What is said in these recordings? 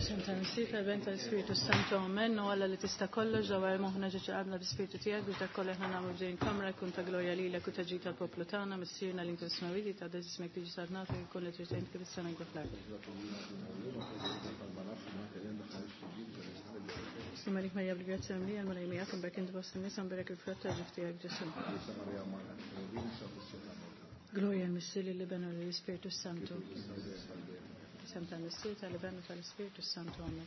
F'isem tal-Missier, tal-Ben, tal-Ispiritu Santu, Amen. U Alla li tista' kollox dawar moħħna ġo qalbna bl-Ispiritu tiegħek biex dak kollu aħna nagħmlu f'din il-kamra jkun ta' glorja lilek u ta' ġid tal-poplu tagħna, Missierna li inti fis-smewwiet, jitqaddes ismek, tiġi saltnatek, ikun li trid int kif is-sema anke fl-art. Sliem għalik Marija bil-grazzja mimlija, l-Mulej miegħek, imberek inti fost in-nisa, imberek il-frott tal-ġuf tiegħek Ġesù. Glorja l-Missier, lill-Iben u lill-Ispirtu Santu. F'isem tal-Missier, tal-Iben u tal-Ispirtu Santu. Amen.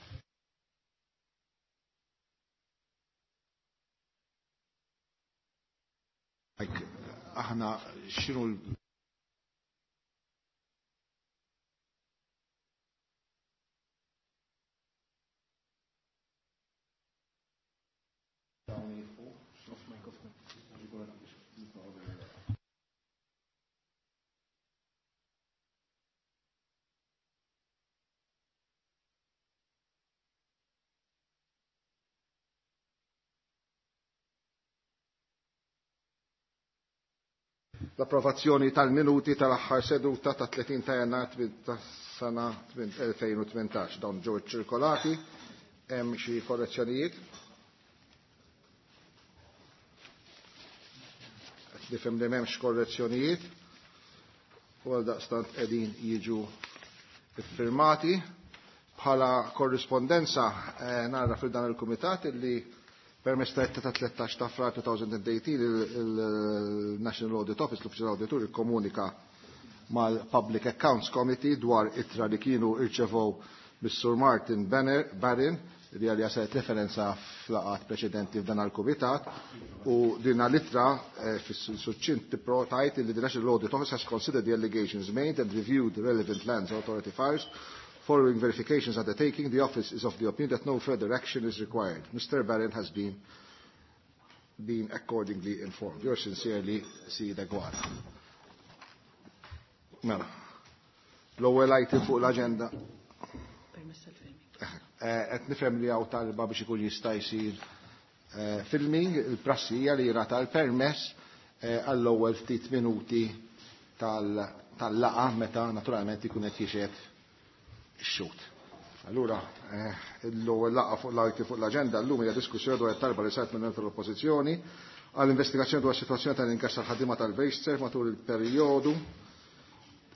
Aħna x'inhu L-approvazzjoni tal-minuti tal-aħħar seduta ta' 30 ta' Jannar tas-sena 2018. Dawn ġew iċċirkolati. Hemm xi korrezzjonijiet? Qed nifhem li m'hemmx korrezzjonijiet u għaldaqstant qegħdin jiġu iffirmati. Bħala korrispondenza nara fil dan il-kumitat illi permezz ta' ta' 13 ta' Frar 2018 il-National Audit Office, l-Uffiċjal Auditur, ikkomunika mal-Public Accounts Committee dwar ittra li kienu irċevow mis-Sur Martin Barin, li għalija saret referenza f'laqgħat preċedenti f'dan il-Kumitat, u din l-ittra fis-suċċint tipro tajt li the National Audit Office has considered the allegations made and reviewed the relevant lands authority files. Following verifications undertaking, the office is of the opinion that no further action is required. Mr. Barron has been accordingly informed. Yours sincerely, C. Deguara. Mela, l-ewwel item fuq l-aġenda. Qed nifhem li hawn talba biex ikun jista' jsir filming, il-prassi hija li jingħata l-permess għall-ewwel ftit minuti tal-laqgħa meta naturalment ikun qed jixhed ix-xhud. Allura, l-ewwel laqgħa fuq l-item fuq l-aġenda llum hija diskussjoni dwar it-talba li saret minn tal-Oppożizzjoni għall-investigazzjoni dwar is-sitwazzjoni tal-inkass tal-ħaddiema tal-Wasteserv matul il-perjodu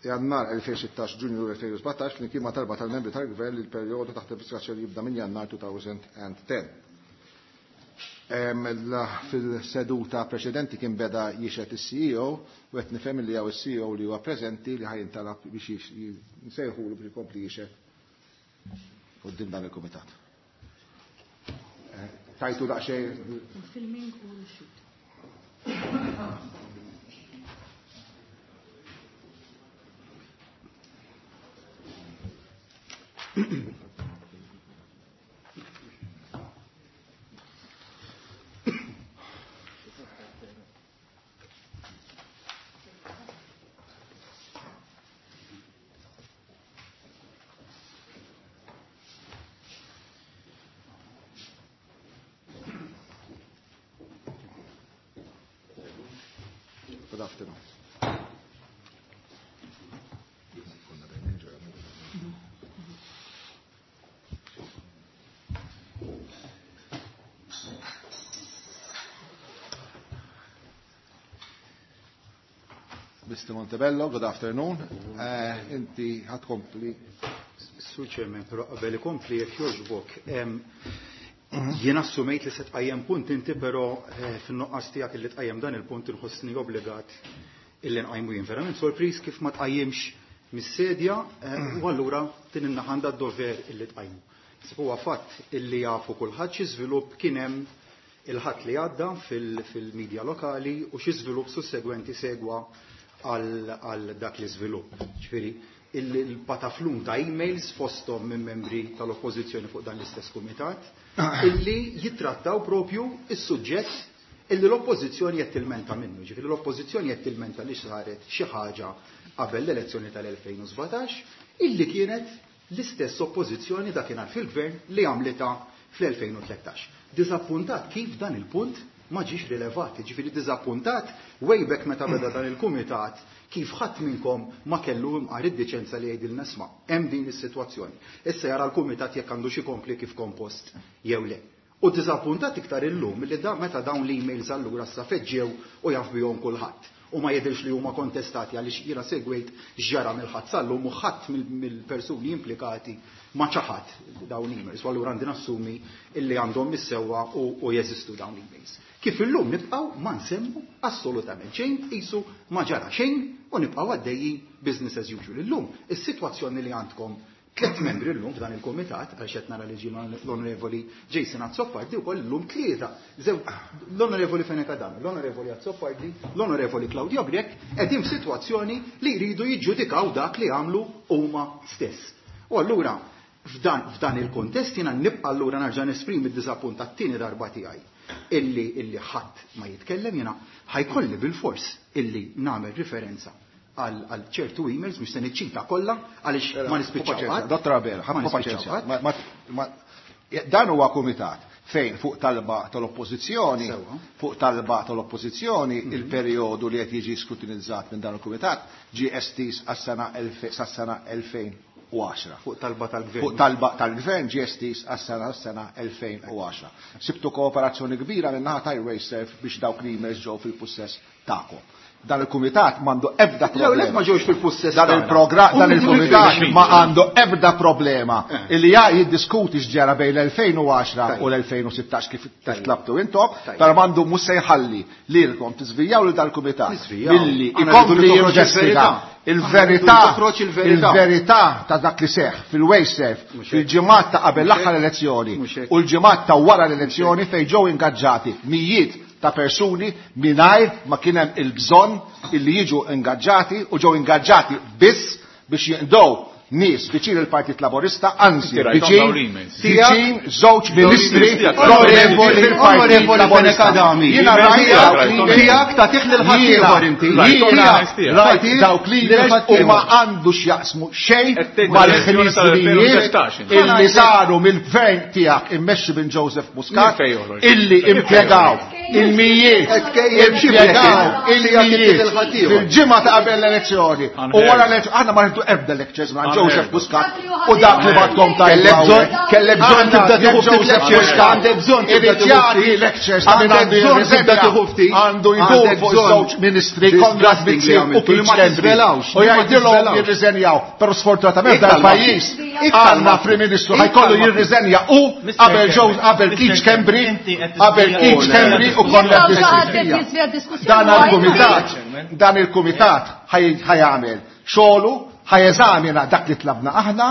Jannar 2016 Ġunju 2017 flimkien ma' talba tal-membri tal-Gvern li l-perjodu taħt investigazzjoni jibda minn Jannar 2010. Fil-seduta preċedenti kien beda jixhed is-CEO u qed nifhem li hawn is-CEO li huwa preżenti li ħajintalab biex nsejħulu biex ikompli jixhed quddiem dan il-kumitat. Tajtu daqsxejn. Filming u l-shoot. Good afternoon. Mr. Montebello, good afternoon. Inti ħatkompli. Sur Chairman, pero qabel ikompli jekk jogħġbok. Jien assumejt li se tqajjem punt inti, però fin-nuqqas tiegħek illi tqajjem dan il-punt inħossni obbligat illi nqajmu jien. Verament sorpriż kif ma tqajjimx mis-sedja u allura din in-naħa għandha d-dover illi tqajmu. Huwa fatt illi jafu kulħadd xi żvilupp kien hemm il-ħadd li għadda fil-medja lokali u xi żvilupp sussegwenti segwa għal dak l-iżvilupp. Ġifieri, il-pataflun ta' emails fosthom minn membri tal-oppożizzjoni fuq dan l-istess kumitat illi jittrattaw propju is-suġġett illi l-oppożizzjoni qed tilmenta minnu. Ġifieri l-oppożizzjoni qed tilmenta li saret xi ħaġa qabel l-elezzjoni tal-2017 illi kienet l-istess oppożizzjoni dakinhar fil-gvern li għamlitha fl-2013. Disappuntat kif dan il-punt Ma ġiex rilevat, ġifieri diżappuntat way back meta beda dan il-kumitat kif ħadd minnkom ma kellu imqar id-diċenza li jgħidilna isma' hemm din is-sitwazzjoni. Issa jara l-kumitat jekk għandu xi kompli kif kompost jew le. U diżappuntat iktar illum li da meta dawn l-emails allura sa feġġew u jaf bihom kulħadd. U ma jidhirx li huma kontestati għaliex jiena segwejt x'ġara mill-ħadd sal-lum u ħadd mill-persuni implikati ma ċaħad dawn l-emails. U allura għandi nassumi illi għandhom is-sewwa u jeżistu dawn l-emails. Kif illum nibqgħu ma nsemmu assolutament xejn, qisu ma ġara xejn u nibqgħu għaddejjin business as usual. Illum is-sitwazzjoni li għandkom tliet membri llum f'dan il-kumitat, għaliex qed nara li ġie l-Onorevoli Jason Azzopardi wkoll illum tlieta. L-Onorevoli Fenech Adami, l-Onorevoli Azzopardi, l-Onorevoli Claudia Grech qegħdin f'sitwazzjoni li jridu jiġġudikaw dak li għamlu huma stess. U allura f'dan il-kontest jiena nibqa' allura nerġa' nesprimi d-diżappunt tat-tieni darba tiegħi illi ħadd ma jitkellem, jiena ħajkolli bil-fors illi nagħmel riferenza għal ċertu emails, mhux se niċċita kollha għaliex ma nispiċċaw qatt. Dottor Abela, Ma ħafna nispiċċaw paċenzja. qatt. Dan huwa kumitat fejn fuq talba tal-oppożizzjoni, fuq talba tal-oppożizzjoni, il-perjodu li qed jiġi skrutinizzat minn dan il-kumitat ġie estis għas-sena sas-sena 2010. Fuq talba tal-gvern. Fuq talba tal-gvern ġie estis għas-sena sena 2010. Sibtu kooperazzjoni kbira minn naħa ta' Wasteserv biex dawk l-emails ġew fil-pussess tagħkom. Dan il-kumitat m'għandu ebda Le, le, problema. ma ġewx fil-pussess Dan tagħna. U il-kumitat minn ma minn għandu ebda problema illi ja jiddiskuti x'ġara bejn l-2010 u l-2016 kif tlabtu intom, però m'għandu mhux se jħalli lilkom tiżvijaw lil dal-kumitat Niżvijaw. milli Aħna ikompli rridu li toħroġ jinvestiga il-verità. Aħna rridu li toħroġ il-verità. il-verità ta' dak li seħħ fil-Wasteserv Mhux hekk. fil-ġimgħat ta' qabel Mhux l-aħħar hekk. elezzjoni Mhux hekk. u l-ġimgħat ta' wara l-elezzjoni fejn ġew ingaġġati mijiet ta' persuni mingħajr ma kien hemm il-bżonn illi jiġu ingaġġati u ġew ingaġġati biss biex jinqdew nies viċin il-Partit Laburista, anzi, Inti rajthom dawn l-emails. viċin żewġ ministri tiegħek. onorevoli fil-Partit Onorevoli Laburista. Fenech Adami. Jiena rajt Tiegħek, dawk rajthom l-emails. Tiegħek tagħtih lil ħaddieħor inti. Rajthom Jiena l-emails tiegħek. rajt dawk l-emails u ma għandu x'jaqsmu xejn Qed tgħid mal-ħniżrijiet tal-2016 inti. illi saru mill-gvern tiegħek immexxi minn Joseph Muscat Min fejn joħroġ? illi Min fejn impjegaw joħroġ? il-mijiet, Qed tkejjel xi impjegaw blekket. il-mijiet Tiegħek il-ħaddieħor. fil-ġimgħa ta' qabel l-elezzjoni u wara l-elezzjoni aħna ma rridu ebda lectures ma' Unheard. Joseph Muscat u dak li batkom ta' Kellek bżonn, kellek bżonn tibda tieħu ftit lectures, għandek bżonn tibda Irid tieħu jagħti ftit. lectures ta' min Għandek għandu bżonn tibda jirriżenja. tieħu ftit. Għandu jdur Għandek fuq bżonn. żewġ ministri Konrad Disgusting li Mizzi u għamiltu, li ma Keith Schembri. tiżvelawx, U li ma jgħidilhom tiżvelawx. jirriżenjaw, però sfortunatament Iktar dan ma pajjiż ftit. Iktar għandna ma Prim ftit. Ministru Iktar ħajkollu ma ftit. jirriżenja u Mr. qabel Chairman, Joe qabel Mr. Keith Schembri, Chairman, inti qed qabel tiżvija- Keith Schembri u Konrad Jistgħu xi ħadd Mizzi. jiżvija d-diskussjoni Dan u il-kumitat, dan il-kumitat ħajamel xogħlu, ħajeżamina dak li tlabna aħna,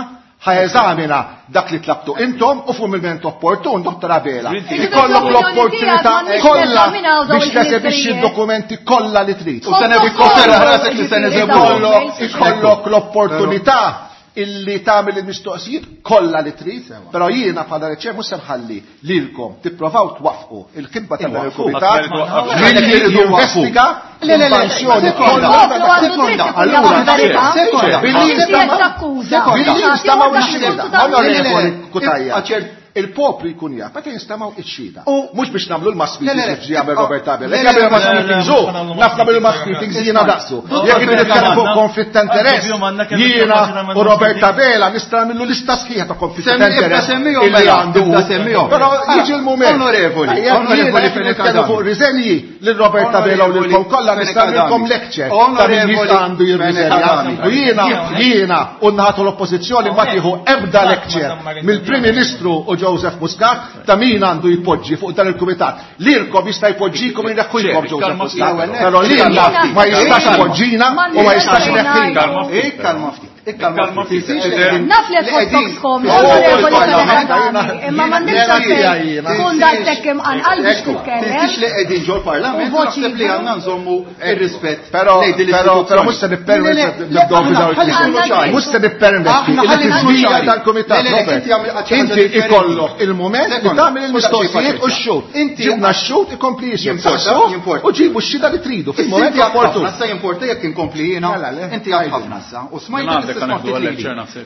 ħajeżamina dak li tlabtu intom u fuq il-moment opportun, Dottor Abela. Inti- Ikollok l-opportunità Inti- kollha Inti- biex tesebixxi d-dokumenti kollha li trid. U se nevi- rasek li se neżebu. Ikollok l-opportunità illi tagħmel il-mistoqsijiet kollha li trid, però jiena bħala reċe mhux se nħalli lilkom tipprovaw twaffqu il-kibba ta' dan il-kumitat milli jinvestiga Le, le, le, l-pensjoni sekonda, kollha. sekonda, Allura, sekonda, sekonda, billi Sekonda. Billi jinstamaw Sekonda. ix-xhieda. Sekonda. Onorevoli Cutajar. Ċert- Il-poplu jkun jaf, meta jinstamaw ix-xhieda. U- Mhux biex nagħmlu l-mass Le, le, meetings le. kif ġie jagħmel Robert Abela. Le, Jekk le, jagħmel le, mass le, le, meetings mhux hu, nagħmlu naf mass nagħmlu mass meetings. meetings jiena daqsu. Dottor Jekk irrid nitkellem fuq Fenech, konflitt ta' interess, għandna għandna kemm jiena il-kapaċità u nagħmlu Robert meetings. Abela nista' nagħmlu lista sħiħa ta' konflitt ta' Semmi- ibda interess semmihom illi mela, għandu. ibda semmihom. Però jiġi l-mument. Onorevoli, Jekk onorevoli jiena qed Fenech nitkellmu Adami. fuq riżenji lil Robert Abela u lilkom kollha nista' nagħmilkom Adami. lecture ta' min Onorevoli jista' għandu Fenech jirriżenja. Adami. U jiena jiena u naħatu l-oppożizzjoni ma tieħu ebda lecture mill-Prim Ministru u Joseph Muscat ta' min għandu jpoġġi fuq dan il-kumitat. Lilkom jista' jpoġġikom jneħħilkom Joseph Muscat. Però lilna ma jistax jpoġġina u ma jistax jneħħilna. Ikkalma ftit, ikkalma ftit. Naf li tħossok skomdu, onorevoli Fenech Adami, imma m'għandekx għalfejn tkun daqshekk imqanqal biex titkellem. Tinsiex li qegħdin ġol-Parlament, U voċi naħseb li għandna nżommu ir-rispett Però lejn din però l-istituzzjoni. però mhux se nippermetti Le, le, le, nibdew aħna b'dawn ħalli nkunu il-kwistjoni. ċari. Mhux se nippermetti Aħna li ħalli nkunu tiżvija ċari. tal-kumitat. Le, le, le, Robert. inti għamil- ħaġa Inti differenti. ikollok il-mument li Sekonda, tagħmel il-mistoqsijiet u x-xhud. Inti- Ġibna x-xhud ikompli jixhud. Jimporta, jimporta. U ġibu x-xhieda li tridu fil-mument Inti għad opportun. ħafna issa jimporta jekk inkompli jiena. Mela, le. Inti għad ħafna issa. U smajt Għandek Għandek għandek lecture naħseb.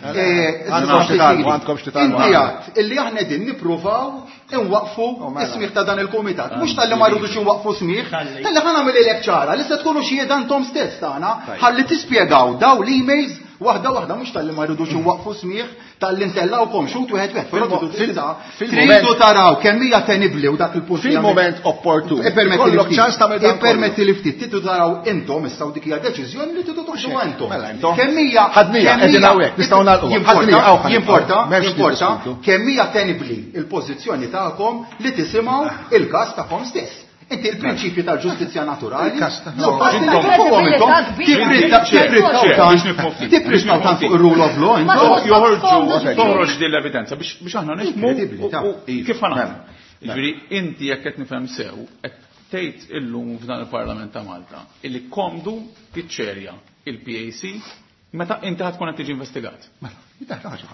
Għandkom x'titgħallmu. Inti għad illi aħna qegħdin nippruvaw inwaqfu is-smigħ ta' dan il-kumitat. Mhux talli ma rridux inwaqfu smigħ, talli ħa nagħmel ċara li se tkunu xhieda intom stess tagħna ħalli tispjegaw daw l-emails waħda waħda, mhux talli ma rridux inwaqfu smigħ talli ntellawkom xhud wieħed wieħed. Però tridu taraw kemm hija tenibbli u dak il-punt. Fil-moment opportun. Ippermetti li Ikollok ftit. ċans tagħmel dan kollu. Ippermetti li ftit, tridu taraw intom issa u dik hija deċiżjoni li tridu toħduha intom. Mela, intom. Kemm hija Ħadnija, kemm qegħdin hija- hawnhekk, nistgħu nagħlquha. Jimporta, Ħadnija, hawn ħadnija. jimporta, M'hemmx jimporta niddiskutu. kemm hija tenibbli il-pożizzjoni tagħkom li tisimgħu il-każ tagħkom stess. Inti il-prinċipji tal-ġustizzja naturali. Il-każ ta' No, passi Intom- fuqhom intom. Ċer, Tipprittaw biex nifhmu ftit, biex Tipprittaw nifhmu tant ftit. fuq ir-rule of law Ma intom. tħoss Joħorġu, komdu toħroġ din l-evidenza biex aħna nifhmu Inkredibbli, ta' u kif ħa nagħmlu. Mela. Ġifieri inti jekk qed nifhem sew, qed tgħid illum f'dan il-Parlament ta' Malta illi komdu tiċċerja il-PAC meta inti ħad tkun qed tiġi investigat. Mela,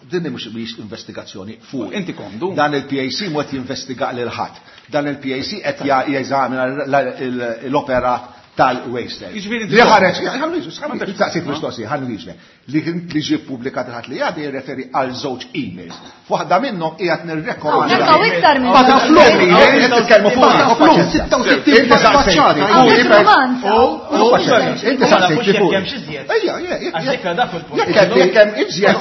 din mhux mhix investigazzjoni fuq. Inti komdu. Dan il-PAC mhu qed jinvestiga lil ħadd. Dan il-PAC qed jeżamina l-operat tal-Waster. Jiġifieri inti Li komdu. ħareġ, ħallu taqsib mistoqsija, ħallu jiġri. Li ġie ppubblikat il-ħadd li għadda jirreferi għal żewġ emails. F'waħda minnhom qiegħed nirrekomanda. Hawnhekk hawn iktar minn Ma ta' żewġ flum, emails. Qed nitkellmu fuq Ma ta' flum, 66 Inti saqsejt. faċċata. Hawnhekk romanza. Inti saqsejt Mhux jekk fuq. hemm xi żjed. Ejja, ejja, Għax dik dak il-punt. Jekk hemm jekk hemm iżjed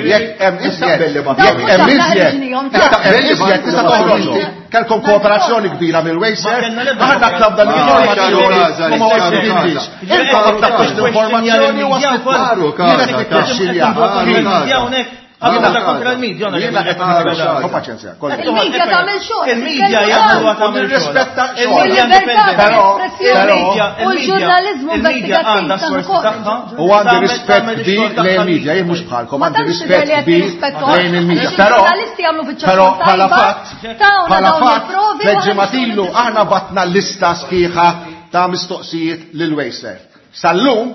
Jekk hemm iżjed. Dawk Jekk hemm mhux aħna iżjed. ħriġnihom, Jekk hemm iżjed tista' toħroġ. Kellkom kooperazzjoni kbira mill-Waster. Ma kellna l-ebda Aħna tlabna l-informazzjoni u ma waslitniex. Intom ma tlabtux l-informazzjoni u waslet. Jiena qed nikkwestjonja. Għamlu kontra l-medja. Jiena qed nikkwestjonja. Paċenzja, kollu. Il-medja tagħmel xogħol. Il-medja jagħmlu tagħmel Nirrispetta xogħol. xogħol. Il-libertà Però- tal-espressjoni però- u l-ġurnaliżmu Il-medja għandha investigattiv s-sorsi ukoll. tagħha. U għandi rispett kbir lejn il-medja, jien mhux bħalkom, Ma għandi tantx rispett tidher li qed kbir tirrispettu. lejn il-medja. Għaliex Però il-ġurnalisti jagħmlu biċċa però xogħol bħala tajba, fatt, tawna bħala dawn fatt, il-provi u aħna leġimatilu nistgħu aħna batna lista sħiħa ta' mistoqsijiet lil Waster. Sallum,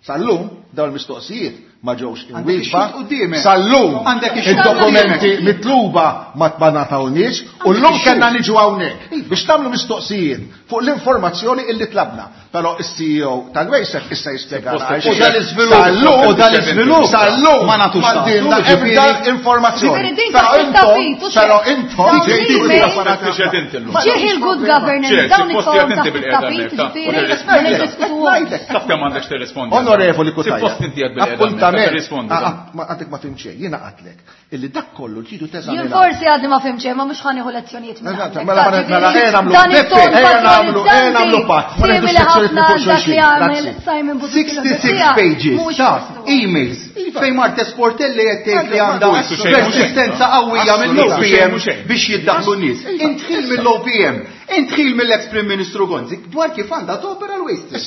sallum, dawn il-mistoqsijiet ma ġewx Għandek imwieġba. ix-xhud quddiemek. Sallum, Għandek ix-xhud id-dokumenti quddiemek. mitluba ma ngħatawniex u llum kellna niġu hawnhekk biex tagħmlu mistoqsijiet fuq l-informazzjoni illi tlabna. Però is-CEO tal-Waster issa jispjegana Suppost għal U dal-iżvilupp, u dal-iżvilupp Sallum ma nagħtux ma tagħtu, dina ebda ġifieri- informazzjoni. Ġifieri din Però taħt intom, it-tapit, u però xejn. intom Dawn ġejtu l-emails- Xed inti llum. Ġieħ il-good governance, Ċer, dawn suppost itfgħu jgħid inti taħt bil-qiegħda it-tapit, hemmhekk, ta' ġifieri, u ma tirrispondi. niddiskutuhomx. Taf kemm għandek tirrispondi. Onorevoli Cutajar. Suppost inti qed bil-qiegħda hemmhekk, Appuntament. tirrispondi. Ma għandek ma fimxej, jiena għatlek. Illi dak kollu ġidu Jien teżaminaw. forsi għadni ma fimxej, ma mhux ħa nieħu lezzjonijiet minn Eżatt, għandek. mela, mela, mela, ejja nagħmlu- Dan it-ton Beppe, ejja nagħmlu- ejja nagħmlu patt. Ma nieħdux simili lezzjonijiet ħafna minn fuq għal dak li xulxin. għamel Grazzi. Simon Busuttil 66 pages Mhux ta' postu. emails fejn Marthese Portelli qed tgħid li għandha Mhux xejn, mhux xejn. persistenza qawwija mill-OPM Mhux xejn. biex jiddaħlu nies. Intħil mill-OPM, intħil mill-ex Prim Ministru Gonzi dwar kif għandha topera l-Waster.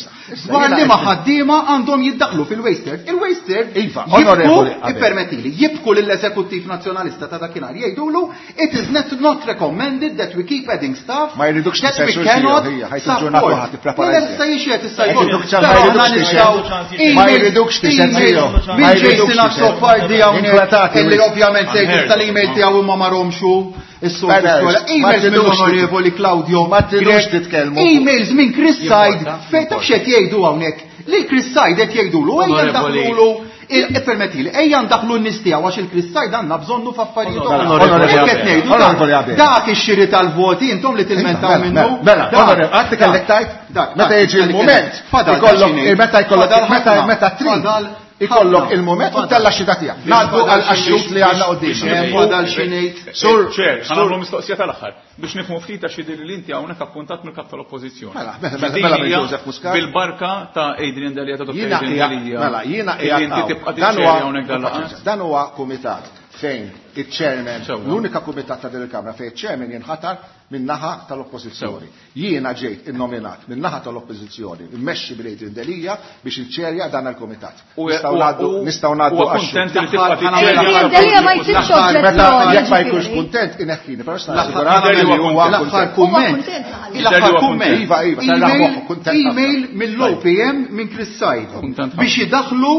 Dwar jiena li ma qed- ħaddiema għandhom jiddaħlu fil-Waster. Il-Waster Iva, onorevoli, jibku, qabel. ippermettili, jibku lill-eżekuttiv nazzjonalista ta' dakinhar jgħidulu it is not recommended that we keep adding staff Ma jridux that we tixed cannot xulxin, hija, ħajtu ġurnata support. waħda tipprepara Mela iżjed. issa jixed issa Ma jkun. jridux Però aħna tixed. nistgħu Ma jridux tixed, emails ma minn jridux Jason tixed. Azzopardi hawnhekk Inkwetati, illi wisq. ovvjament se Unheard. jista' l-email tiegħu imma ma romxu is-soltu Mela, skola. ma Emails tridux mill-Onorevoli Claudio Ma tridux Grech. titkellmu. Emails minn Chris Said Jimporta, fejn taf x'qed jgħidu hawnhekk. Li Chris Said qed jgħidulu ejja Onorevoli. ndaħlulu Ippermettili, ejja ndaħlu n-nies tiegħu għax il-Chris Said għandna bżonnu f'affarijiet oħra. Onorevoli Hekk qed Abela. ngħidu, Onorevoli Abela. Dak ix-xiri tal-voti intom li tilmentaw Mela, minnu. Mela, Dak, onorevoli, għatti kellek tajt, dak, meta dak, jiġi il-moment, Fadal ikollok, xi ngħid. meta jkollok, Fadal meta ħafna. meta trid, Fadal ikollok ħafna. il-moment u Fadal. tella xita tiegħek. Ngħaddu għal għax-xut li għandna quddiem. Fadal xi ngħid. Sur, Ċer, sur- ħanamlu mistoqsija tal-aħħar biex nifhmu ftit għax jidher li inti hawnhekk appuntat mill-kap tal-Oppożizzjoni. Mela, mela, Ġifieri mela, mela, hija Joseph Muscat. Bil-barka ta' Adrian Delia ta' Dr. Jiena Adrian hija- Delia. mela, jiena Illi qiegħed inti hawn. tibqa' Dan tiċċerja huwa- hawnhekk dal-laqgħa. Dan huwa kumitat fejn iċ-chairman, Sewwa. l-unika kumitat ta' din il-Kamra fejn iċ-chairman jinħatar min-naħa tal-Oppożizzjoni. Jiena ġejt innominat min-naħa tal-Oppożizzjoni, immexxi bil Adrian Delia biex iċċerja dan il-kumitat. Nistgħu ngħaddu nistgħu ngħaddu Huwa għax-xhud. kuntent li tibqa' L-aħħar- tiċċerja. Adrian Delia ma jsibx Meta oġġezzjoni. jekk ma jkunx ġifieri. kuntent ineħħini, però sta L-aħħar assigurati li huwa l-aħħar kuntent. kumment. Huwa kuntent ħalli. L-aħħar Huwa kumment. kuntent. Iva, iva, serraħ moħħu, kuntent ħafna. Email mill-OPM minn Chris Said Kuntent ħafna. biex jidaħlu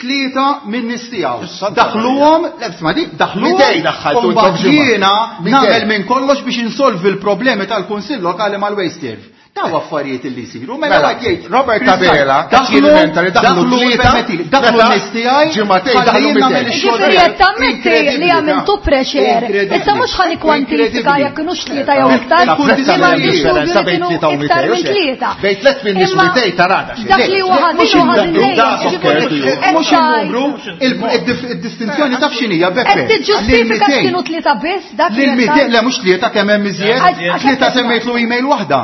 tlieta minn nies tiegħu. Santa Daħluhom, le, dik, daħluhom. 200 daħħaltu u mbagħad intom ġimgħa. Jiena 200. nagħmel minn kollox biex insolvi l-problemi tal-Kunsill Lokali mal-Wasteserv. Daw affarijiet li jsiru, mela Mela, qed jgħid Robert Chris Abela Said, qed jilmenta li daħlu tlieta, permettili, daħlu meta n-nies tiegħi, ġimagħtejn ħalli daħlu jien nagħmel 200. ix-xogħol Ġifieri qed tiegħi. tammetti li Incredibbli, għamiltu pressure. Incredibbli. Issa mhux ħa nikkwantifika Incredibbli. jekk kinux tlieta jew iktar, Napprezza li m'għandix l-differenza dubju li bejn kienu tlieta u iktar 200, minn tlieta. Bejn tliet minn nies Imma 200 tarada xejn. Dak li huwa ħażin Mhux u ħażin il-numru, dejjem. Ġifieri, qed Mhux il-numru, tgħid- il-distinzjoni taf x'inhija Beppe. Qed tiġġustifika kienu tlieta biss, dak li Lil qed 200 tgħid. le mhux tlieta kemm hemm iżjed, Għax- tlieta semmejtlu email waħda.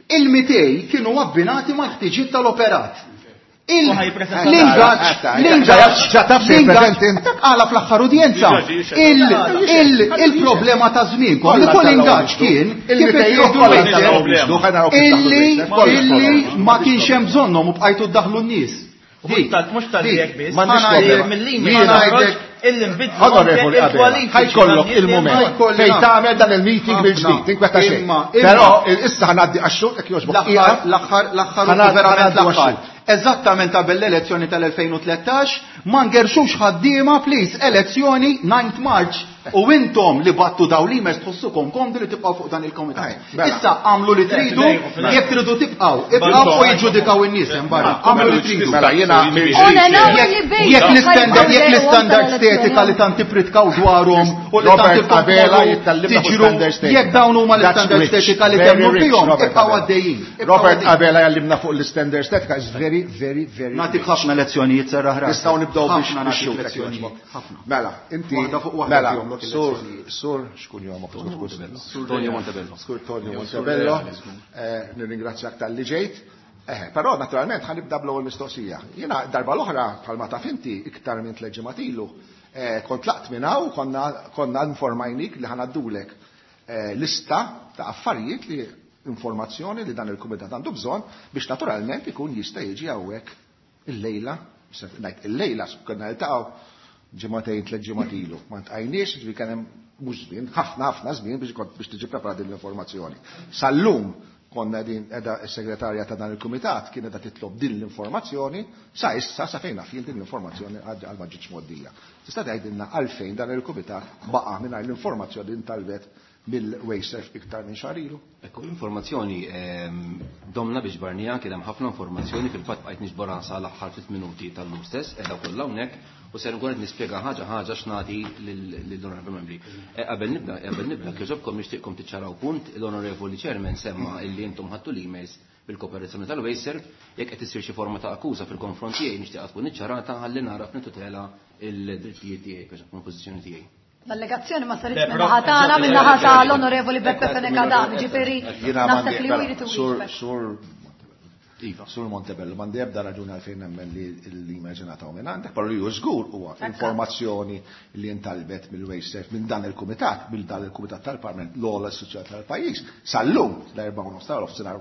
Il-200 kienu abbinati mal-ħtiġiet tal-operat. U ħajpreżenta L-ingaġġ, l-ingaġġ, Ġa taf se l-ingaġġ, jippreżenti. dak għala fl-aħħar udjenza. Il-problema ta' żmienkom, li kull ingaġġ kien, kif illi illi ma kienx hemm bżonnhom u bqajtu ddaħlu n-nies. U mhux tal-jek biss. M'għandix problema. Mill-email Jiena joħroġ ngħidlek- illi nbidlu Onorevoli anke Abela, il-kwalifiki ħajkollok tan-nies li il-moment hemm. Ħajkolli fejn naf. tagħmel dan il-meeting Ħafna. bil-ġdid, tinkweta xejn. Imma- Però issa ħanaddi għax-xhur jekk jogħġbok. L-aħħar, l-aħħar, l-aħħar, u Ħanaddu verament l-aħħar. għax-xhur. Eżattament qabel l-elezzjoni tal-2013, ma ngerxux ħaddiema, please, elezzjoni 9 March. U intom li battu daw li mers tħossukom komdu li tibqgħu fuq dan il-komitat. Ej, mela. Issa għamlu li tridu, jekk tridu tibqgħu, ibqgħu u jiġġudikaw in-nies hemm barra. Għamlu li tridu. Mela jiena U nenaw li bejn Jekk l-istandard jekk l-istandard ħajbdew estetika li tant tipritkaw dwarhom u li tant Robert tibqgħu Abela tmorru jittallimna fuq tiġru, standards estetika. jekk dawn huma That's l-istandard rich, estetika li very temmu rich, fihom, Robert ibqgħu Abela. għaddejjin. ibqgħu Robert għaddejjin. Abela jallimna fuq l-standard estetika is very, very, very Nagħtik rich. ħafna lezzjonijiet serraħ rasek. Nistgħu nibdew biex Ħafna nagħtik biex lezzjonijiet. Ħafna. Mela, inti Waħda fuq waħda mela, fihom lok sur il-lezzjonijiet. sur xkun jomok, Sur Tonio Montebello. Sur Tonio Montebello, nirringrazzjak tal-li ġejt. Però naturalment ħanibda bl-ewwel mistoqsija. Jiena darba l-oħra bħalma taf inti iktar minn tliet ġimgħat ilu, kont tlaqt minn hawn konna konna informajnik li ħanaddulek lista ta' affarijiet li informazzjoni li dan il-kumitat għandu bżonn biex naturalment ikun jista' jiġi hawnhekk il-lejla, ngħid il-lejla konna niltaqgħu ġimagħtejn tliet ġimgħat ilu. Ma ntqajniex, ġifieri kien hemm mhux żmien, ħafna ħafna żmien biex kont biex tiġi preparata din l-informazzjoni. Sal-lum konna din edha s-segretarja ta' dan il-kumitat kien edha titlob din l-informazzjoni, sa issa sa fejn naf jien din l-informazzjoni għal ma ġietx mgħoddija. Tista' tgħidilna għalfejn dan il-kumitat baqa' mingħajr l-informazzjoni li ntalbet mill-Wasteserv iktar minn xahar ilu. Ekku, l-informazzjoni domna biex barnija kien hemm ħafna informazzjoni fil-fatt bqajt niġborha sa l-aħħar ftit minuti tal-lum stess, qiegħda kollha hawnhekk u ser nkun qed nispjega ħaġa ħaġa x'nagħti lill-Onorevoli Membri. Qabel nibda, qabel nibda kieġobkom nixtieqkom tiċċaraw punt, l-Onorevoli Chairman semma illi intom ħadtu l-emails bil-kooperazzjoni tal-Wasteserv, jekk qed issir xi forma ta' akkuża fil-konfront tiegħi nixtieq tkun iċċarata ħalli naraf nitutela l-drittijiet tiegħi kieġobkom il-pożizzjoni tiegħi. L-allegazzjoni ma saritx Le, minn però- naħa tagħna, minn naħa tal-Onorevoli Beppe Fenech Adami, ġifieri Jiena naħseb m'għandi- li hu mela, jrid Sur iwieġbek. sur Iva. Sur Montebello, m'għandi ebda raġuni għalfejn nemmen li l-email ġenataw minn għandek, però li hu żgur huwa informazzjoni li intalbet mill-Wasteserv minn dan il-kumitat, mill dan il-kumitat tal-Parlament, l-ogħla istituzzjoni tal-pajjiż. Sal-lum, l-erba' u nofs tal-nofsinhar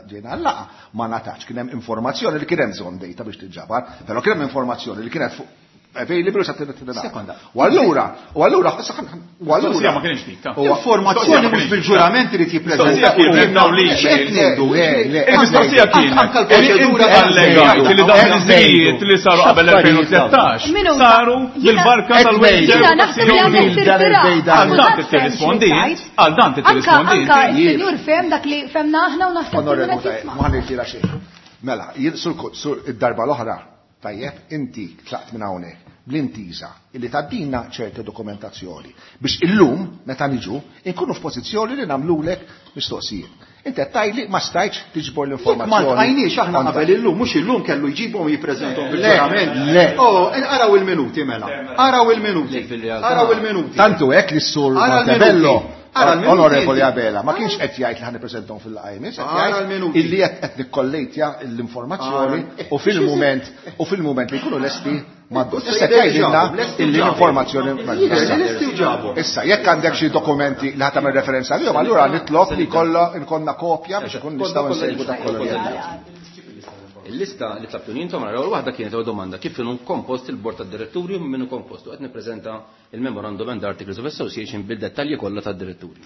ġejna għal-laqgħa, ma ngħatax kien hemm informazzjoni li kien hemm bżonn data biex tinġabar, però kien hemm informazzjoni li kienet fuq available sa tingħata. Sekonda. U allura, u allura, issa u allura. Mistoqsija ma kienx dik, ta' Informazzjoni mhux bil-ġurament irid jippreżenta. Mistoqsija kienet dawn li X'qed ngħidu? Le, le, Il-mistoqsija kienet Anka l-proċedura inti allegajt li dawn Qed il-ħsibijiet li saru qabel X'affarijiet 2013 Minuta. saru Jiena- bil-barka Qed tal-Wasteserv. Jiena naħseb li hawnhekk Bil dan tirtira. il-bejda. Għal dan Akkużat fem tirrispondi, xi tajt. għal dan Anka tirrispondi. anka il-senjur fem dak li femna aħna u naħseb li Onorevoli, qed jisma'. ma ħanirtira xejn. Mela, jien sur sur id-darba l-oħra, tajjeb, inti tlaqt minn hawnhekk bl-intiża illi tgħaddina ċerti dokumentazzjoni biex illum meta niġu inkunu f'pożizzjoni li nagħmlulek mistoqsijiet. Inti qed tgħidli ma stajtx tiġbor Jekk ma l-informazzjoni. ltqajniex aħna qabel illum, mhux illum kellu jġibhom jippreżentahom Le, bil-ġurament. le. Oh, araw il-minuti mela. Araw il-minuti. Le, fil-realtà. Araw il-minuti. Tantu hekk li s-sur Ara l-minuti. Montebello Ara l-minuti Onorevoli inti. Abela, ma kienx qed jgħid li ħan nippreżentahom fil-laqgħa qed Ara jgħid l-minuti. illi qed qed nikkollejtja l-informazzjoni Ara. u fil-mument u fil-mument li jkunu lesti ma Issa Issa jidher tgħidilna ġabhom, lesti illi ġabhom. l-informazzjoni Jidher li lesti ġabhom. Issa, jekk għandek xi dokumenti li ħa tagħmel referenza għalihom, allura nitlob li kollha nkollna kopja biex ikun nistgħu nsegwu dak kollu li għandna. Il-lista li tlabtuni intom għara l-waħda kienet ewwel domanda kif inhu kompost il-bord tad-diretturi u minnu kompost u qed nippreżenta il-Memorandum and Articles of Association bil-dettalji kollha tad-diretturi.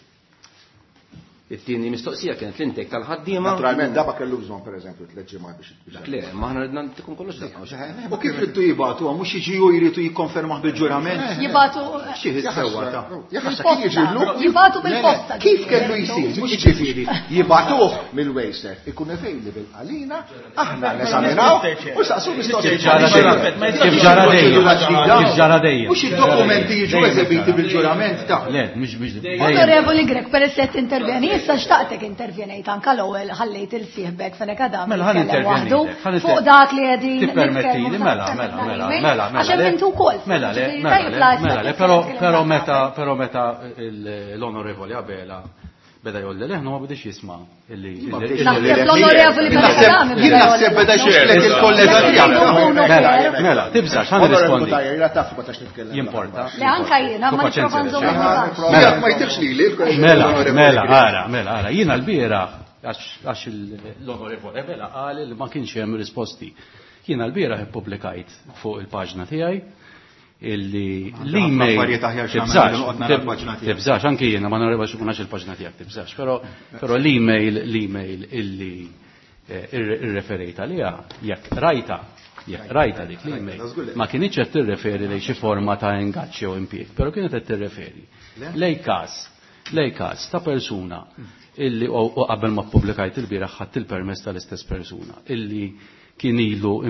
It-tieni mistoqsija kienet l-intake tal-ħaddiema. Naturalment, da ma kellu bżonn pereżempju tliet ġimgħat biex. Le, ma aħna ridna tkun kollox dak. U kif ridtu jibatu, mhux jiġi u jridu jikkonfermah bil-ġurament? Jibatu. Xi sewwa ta' Jaħasra kien jiġi llum. Jibatu bil-posta. Kif kellu jsir? Mhux jiġifieri jibatuh mill-Waster ikun available għalina, aħna nesaminaw u saqsu mistoqsijiet. Kif ġara dejjem. Kif ġara dejjem. Mhux id-dokumenti jiġu eżebiti bil-ġurament ta' Le, mhux biex. Onorevoli Grech, peress li qed intervjeni, issa xtaqtek intervjenejt anka l-ewwel ħallejt il-sieħbek Fenech Adam Mela, ħan jitkellem waħdu intervjeni. fuq dak li qegħdin Tippermettili, nitkellmu mela, sa- mela, sa- mela, email, mela, mela. Għax hemm le. intu wkoll. Mela, le, Ġifieri, mela, tajjeb le, la issa mela, le, titkellem però titkellem però ta' meta però meta l-onorevoli Abela beda jolli leħnu ma bidix jisma' illi Naħseb l-onorevoli Fenech Adami Jien naħseb beda jxekklek il-kollega tiegħek. Mela, mela, tibżax, ħan Onorevoli nirrispondi. Tajja, jiena taf ma tax nitkellem. Jimporta. Le anka jiena ma nipprova nżomm il-nivax. Mela, ma jtifx lili il-kollega. Mela, mela, ara, mela, ara, jiena l-bieraħ, għax l-onorevole Abela qal li ma kienx hemm risposti. Jiena l-bieraħ ippubblikajt fuq il-paġna tiegħi illi l-email. affarijiet aħjar x'nagħmel Tibżax, milli noqgħod nara l-paġna tiegħek. Tibżax, anki jiena ma narax ma narax il-paġna tiegħek tibżax, però però l-email l-email illi irreferejt għaliha jekk rajta jekk rajta dik l-email ma kienx qed tirreferi lejn xi forma ta' ingaġġ jew impjieg, però kienet qed tirreferi lej każ lej każ ta' persuna illi u qabel ma ppubblikajt il-bieraħ ħadd il-permess tal-istess persuna illi kien ilu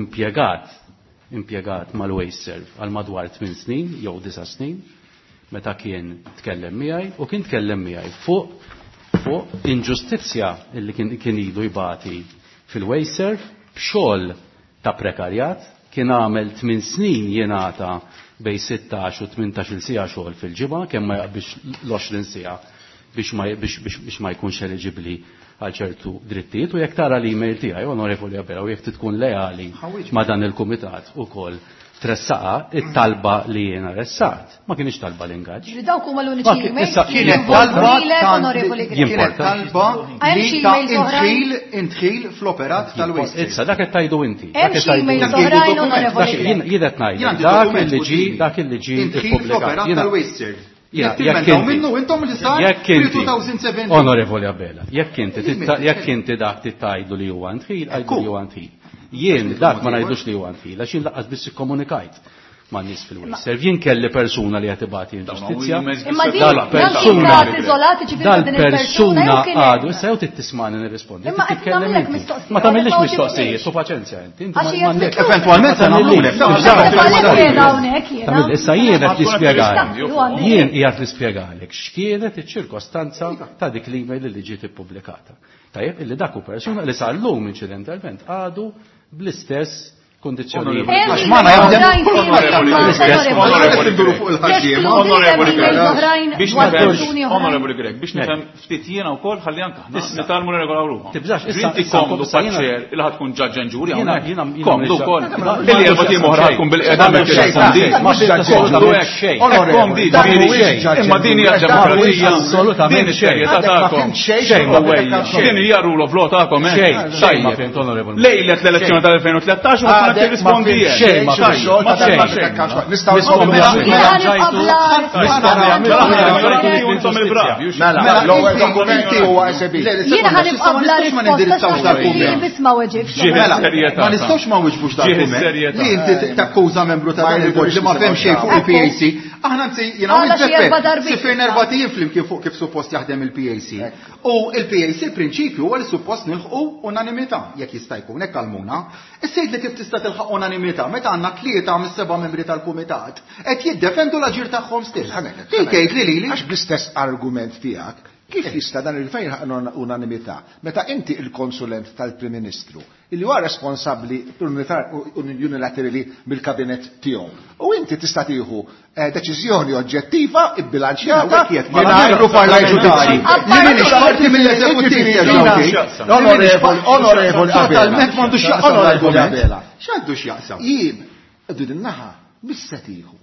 impjegat mal-Wasteserv għal madwar 8 snin jew 9 snin meta kien tkellem miegħi u kien tkellem miegħi fuq inġustizzja illi kien ilu jbati fil-Wasteserv b'xogħol ta' prekarjat, kien għamel 8 snin jingħata bej 16 u 18 siegħa xogħol fil-ġimgħa kemm ma jaqbix l-20 siegħa biex ma jkunx eliġibbli għal ċertu drittijiet u jekk tara l-email tiegħi onorevoli Abela u jekk tkun leali ma' dan il-kumitat ukoll tressaqa it-talba li jiena ressaqt. Ma kienx talba l-ingaġġ. Ġifieri dawk huma Ma l-uniċi emails issa li Kienet jinvolvu talba lilek, ta' onorevoli Grech. kienet Jimporta. talba Hemm li xi ta' emails oħrajn? intħil fl-operat tal-Waste. Issa dak qed tajdu inti. Hemm Dak qed xi tajdu emails inti. oħrajn, Dak onorevoli Dak Grech. jien qed ngħidlek, Jien għandi dak dokument illi ġi qudiemi. dak illi ġi Intħil ippubblikat. fl-operat Jiena- tal-Waste. Jekk Jekk inti- minnu intom li sar Jekk inti, fil-2017. onorevoli Abela, jekk inti Email, jekk inti dak tittajdu li huwa ntħil, għajdu li huwa ntħil. Jien dak ma ngħidux li huwa ntħil, għax jien laqqas biss ikkomunikajt ma' nies fil-Wasteserv. Jien kelli persuna li qed ibati inġustizzja. Imma din dan kien każ iżolat, ġifieri ta' din il-persuna jew Dal-persuna kien għadu, hemm? issa jew tittismani nirrispondi. Imma qed titkellem nagħmlek inti. mistoqsija, Ma tagħmilx ma mistoqsijiet, weġibtniex. u paċenzja inti. Inti Għax ma- hija m'għandek- Eventwalment se nagħmlulek. Naħseb għalhekk qiegħda hawnhekk jiena. Tamil, issa jien qed nispjegalek. Hu għandi. Jien qiegħed nispjegalek x'kienet iċ-ċirkostanza ta' dik l-email li ġiet ippubblikata. Tajjeb illi dak hu persuna li sal-lum inċidentalment għadu bl-istess kondizzjonijiet. Hemm Għax magħna jaħdem oħrajn Onorevoli imma, Grech. onorevoli Onorevoli Nduru fuq il-ħaddiema. Jeskludi Onorevoli hemm emails Grech. oħrajn Biex dwar nifhem, persuni oħrajn. Onorevoli Grech, biex nifhem ftit jiena wkoll ħalli anke aħna nitgħallmu nirregolaw ruħhom. Tibżax, issa- Inti issa- komdu issa jiena- paċċer il ħad tkun judge and jury Jiena- hawnhekk. jiena- jiena Komdu mhix- wkoll. Ma- Billi ma- erba' tim oħra xejn. tkun bil-qiegħda Ma- hemmhekk xejn, tirrispondi. ma- Komdu hekk. xejn. Hekk komdi Dak ġifieri. mhuwiex Imma din hija judge and demokrazija. Assolutament Din is-serjetà Għadek ma tagħkom. fimt xejn, Xejn ma Ewwejja. xejn. Din hija rule of law tagħkom hekk. Xejn, xejn ma Tajjeb. fimt, onorevoli. Lejlet l-elezzjoni tal-2013 u ħadd Għadek ma tirrispondi fimt hekk. Xejn ma xejn fimt. xogħol ta' Xejn. dan il-każ. Nistgħu Nistgħu nkomplu. nagħmlu. Jiena ħanibqa' bla Intom il-bravi. Mela, Mela, l-ewwel inti- dokumenti huwa esebit. Jiena ħanibqa' bla Ma risposta nindirizzawx dal-kumment. biss ma weġibx. Ġieħ Mela, serjetà. ma nistgħux ma wiġbux Ġieħ dal-kumment. serjetà. Li inti takkuża membru ta' Ma dan il-bord li ma jridux fem xejn fuq Ekku. il-PAC. Aħna nsi jiena Għala xi erba' darbiet. sifir nerbatijin flimkien fuq kif suppost jaħdem il-PAC. U il-PAC il-prinċipju huwa li suppost nilħqu unanimità jekk jista' jkun hekk għalmuna. Issejt li kif tista' tilħaq unanimità meta għandna tlieta mis-seba' membri tal-kumitat qed jiddefendu l-aġir tagħhom stess. Dik tgħid li lili Għax bl-istess argument tiegħek, kif jista' dan il-gvern jilħaq unanimità meta inti il-konsulent tal-Prim Ministru illi huwa responsabbli unilaterally mill-kabinett tiegħu. U inti tista' tieħu deċiżjoni oġġettiva, ibbilanċjata, mingħajr membru parlamentari. Li m'iniex parti mill-eżekuttiv jerġgħu. Onorevoli, onorevoli Abela. Totalment m'għandux x'jaqsam Onorevoli l-argument. Abela. X'għandu x'jaqsam? Jien, din in-naħa, mhix se tieħu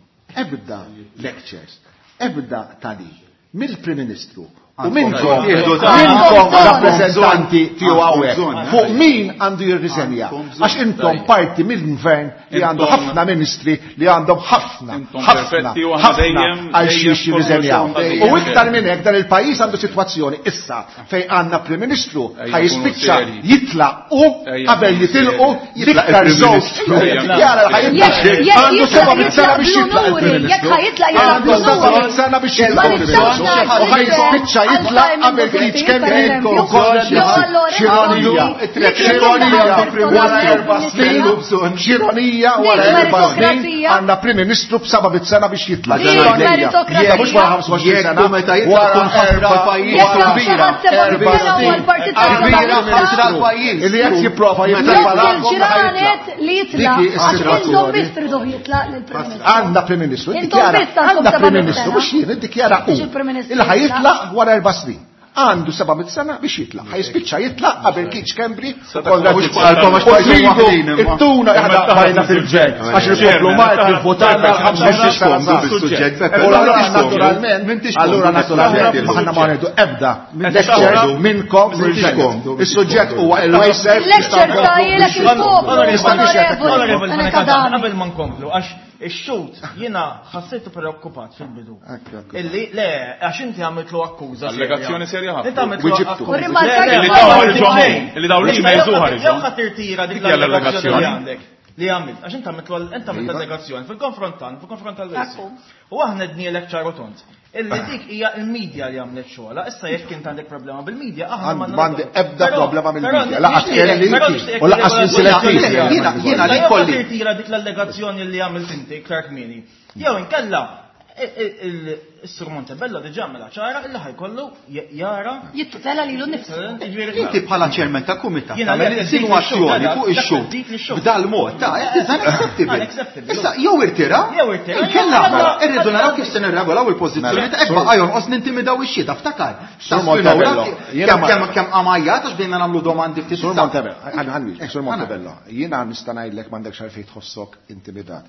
ebda lectures, ebda tagħlim mill-Prim Ministru U minnkom, minnkom rappresentanti tiegħu hawnhekk, fuq min għandu jirriżenja. Għax intom parti mill-gvern li għandu ħafna ministri li għandhom ħafna, ħafna, ħafna għal xiex jirriżenjaw. U iktar minn hekk dan il-pajjiż għandu sitwazzjoni issa fejn għandna Prim Ministru ħa jispiċċa jitlaq u qabel jitilqu l-iktar żewġ jara għandu 700 sena biex jitlaq il-Prim Ministru. Għandu 700 sena biex jitlaq il-Prim Ministru. U ħa jispiċċa jitlaq qabel Keith Schembri u Konrad Xironija. Xironija wara 4 snin. Xironija wara 4 snin għandna Prim Ministru b'seba' mit sena biex jitlaq. Xironija. Mhux wara 25 sena. Wara kbira. Kbira ħasra l-pajjiż. Illi qed jipprova jippreparakom li jitlaq. Għax intom biss triduh jitlaq lill-Prim Ministru. Għandna Prim Ministru. Għandna Prim Ministru mhux jien iddikjara hu. Il ħa jitlaq wara 4 snin. Għandu 700 sena biex jitlaq. Ħa jispiċċa jitlaq qabel Keith Schembri u Konrad Mizzi. Ittuna aħna bajna fil-gvern. Għax il-poplu Malti vvotalna 25 sena. Allura naturalment aħna ma rridu ebda lecture minnkom. Is-suġġett huwa il-WasteServ. Lecture tajlek il-poplu. Qabel ma nkomplu, għax ix-xut jiena ħassejtu preokkupat fil-bidu. Illi le, għax inti għamiltlu akkuża. Allegazzjoni serja ħafna. Inti għamiltlu akkuża. Illi daw l-emails u ħarġu. Jew ħa tirtira dik l-allegazzjoni li għandek. Li għamilt, għax inti għamiltlu inti għamilt allegazzjoni fil-konfront tan, fil-konfront tal-Wejser. U aħna dnielek ċaru tont. Illi dik hija l-media li għamlet xogħla, issa jekk int għandek problema bil-media, aħna ma m'għandi ebda problema mill-media, laqas kelli u laqas ninsilettiv. Jiena li kolli. Tirtira dik l-allegazzjoni li għamilt inti iktar kmieni. Jew inkella is-Sur Montebello diġà mela ċara illi ħajkollu jara. Jittutela lilu nnifsu. Inti bħala chairman ta' kumitat tagħmel insinwazzjoni fuq ix-xhud b'dal mod ta' it is unacceptable. Issa jew irtira, inkella irridu naraw kif se nirregolaw il-pożizzjoni ta' hekk baqa' jonqos nintimidaw ix-xhieda ftakar. Sur Montebello. Kemm qamajjat għax bdejna nagħmlu domandi ftit. Sur Montebello, Sur Montebello, jiena nista' ngħidlek m'għandekx għalfejn tħossok intimidat.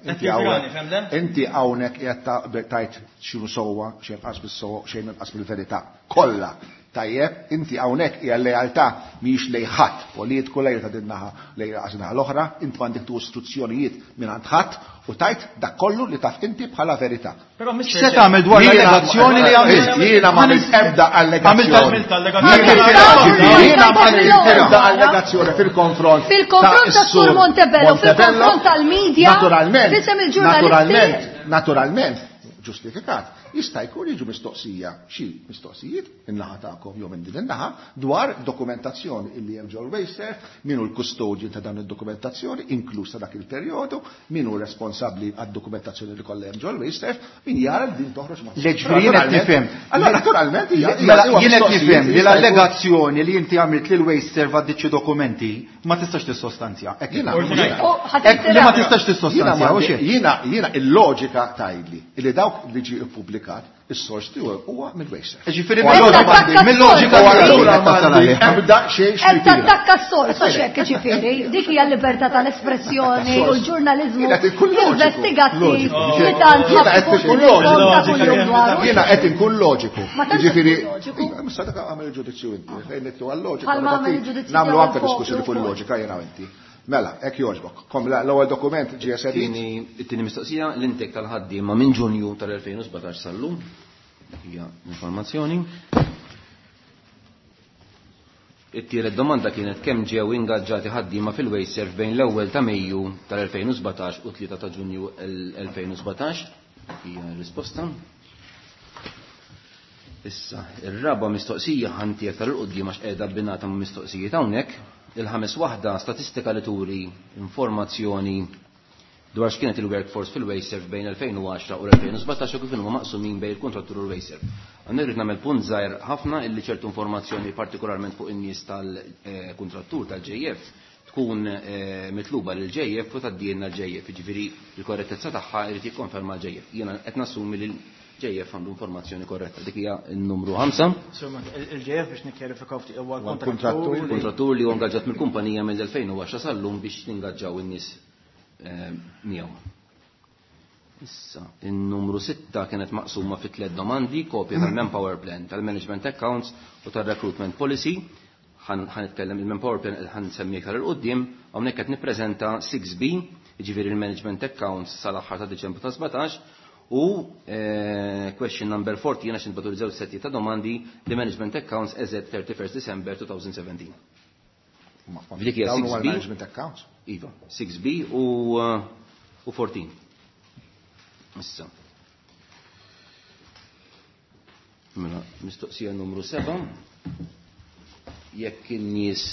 Inti hawnhekk qiegħed tajt x'inhu sewwa, xejn inqas bis-sewwa, xejn inqas bil-verità. Kollha. Tajjeb, inti hawnhekk hija lealtà mhijiex lejn ħadd politiku lejn ta' din naħa lejn laqas naħa l-oħra, inti m'għandek tuħu istruzzjonijiet mingħand ħadd u tajt dak kollu li taf inti bħala verità. X'se tagħmel dwar l-allegazzjoni li għamilt? Jiena m'għamilt ebda allegazzjoni. Jiena m'għamilt ebda allegazzjoni fil-konfront. Fil-konfront ta' Sur Montebello, fil-konfront tal-media. Naturalment. Naturalment, naturalment, ġustifikat. Jista' jkun jiġu mistoqsija xi mistoqsijiet in-naħa tagħkom jew minn din in-naħa dwar dokumentazzjoni illi hemm ġol WasteServ, min hu l-kustodju ta' dan id-dokumentazzjoni, inkluż ta' dak il-perjodu, min hu responsabbli għad-dokumentazzjoni li kollha hemm ġol WasteServ, min jara li din toħroġ ma' Ġifieri jien qed nifhem. Allora naturalment hija jien qed nifhem li l-allegazzjoni li inti għamilt lil WasteServ għad dokumenti ma tistax tissostanzja. Li ma tistax tissostanzja. Jiena il-loġika tgħidli li dawk li ġie ippubblikat is-sors tiegħu huwa mill-WasteServ. Ġifieri mill-loġika ebda xejn Qed tattakka s-sors għax hekk ġifieri, dik hija l-libertà tal-espressjoni u l-ġurnaliżmu investigattiv li tant Jiena qed inkun loġiku. Ġifieri, issa dak għamel il-ġudizzju inti, fejn nitlu għal-loġika. Nagħmlu anke diskussjoni fuq il-loġika jiena inti. Mela, hekk jogħġbok. Kom l-ewwel dokument ġie esebit. It-tieni mistoqsija l-intake tal-ħaddiema minn Ġunju tal-2017 sal-lum. Hija informazzjoni. It-tielet domanda kienet kemm ġew ingaġġati ħaddiema fil-WasteServ bejn l-ewwel ta' Mejju tal-2017 u 3 ta' Ġunju 2017. Hija risposta. Issa, ir-raba' mistoqsija ħanti aktar 'il quddiem għax qiegħda abbinata ma' mistoqsijiet hawnhekk. Il-ħames waħda statistika li turi informazzjoni dwar x'kienet il-workforce fil-WasteServ bejn 2010 u 2017 u kif huma maqsumin bejn il-kontrattur u l-WasteServ. Għandna rrid nagħmel punt żgħir ħafna illi ċertu informazzjoni partikolarment fuq in-nies tal-kontrattur tal-JF tkun mitluba lil JF u tgħaddielna l-JF, jiġifieri l-korrettezza tagħha jrid jikkonferma l-JF. Jiena qed nassumi li JF għandu informazzjoni korretta. Dik hija n-numru 5. Il-JF biex nikkjarifikaw ftit huwa kontrattur. Kontrattur li huwa ingaġġat mill-kumpanija mill-2010 sal-lum biex ningaġġaw in-nies miegħu. Issa, in-numru 6 kienet maqsuma fi tliet domandi, kopja tal-Manpower Plan, tal-Management Accounts u tal-Recruitment Policy. Ħa nitkellem il-Manpower Plan ħa nsemmi iktar 'il quddiem, hawnhekk qed nippreżenta 6B, jiġifieri il-Management Accounts sal-aħħar ta' Diċembru ta' 17, u question number 14 għax nbatu żewġ setti ta' domandi, the Management Accounts as at 31st December 2017. Dik hija 6B. Management Accounts? Iva, 6B u 14. Issa. Mela, mistoqsija numru 7. Jekk in-nies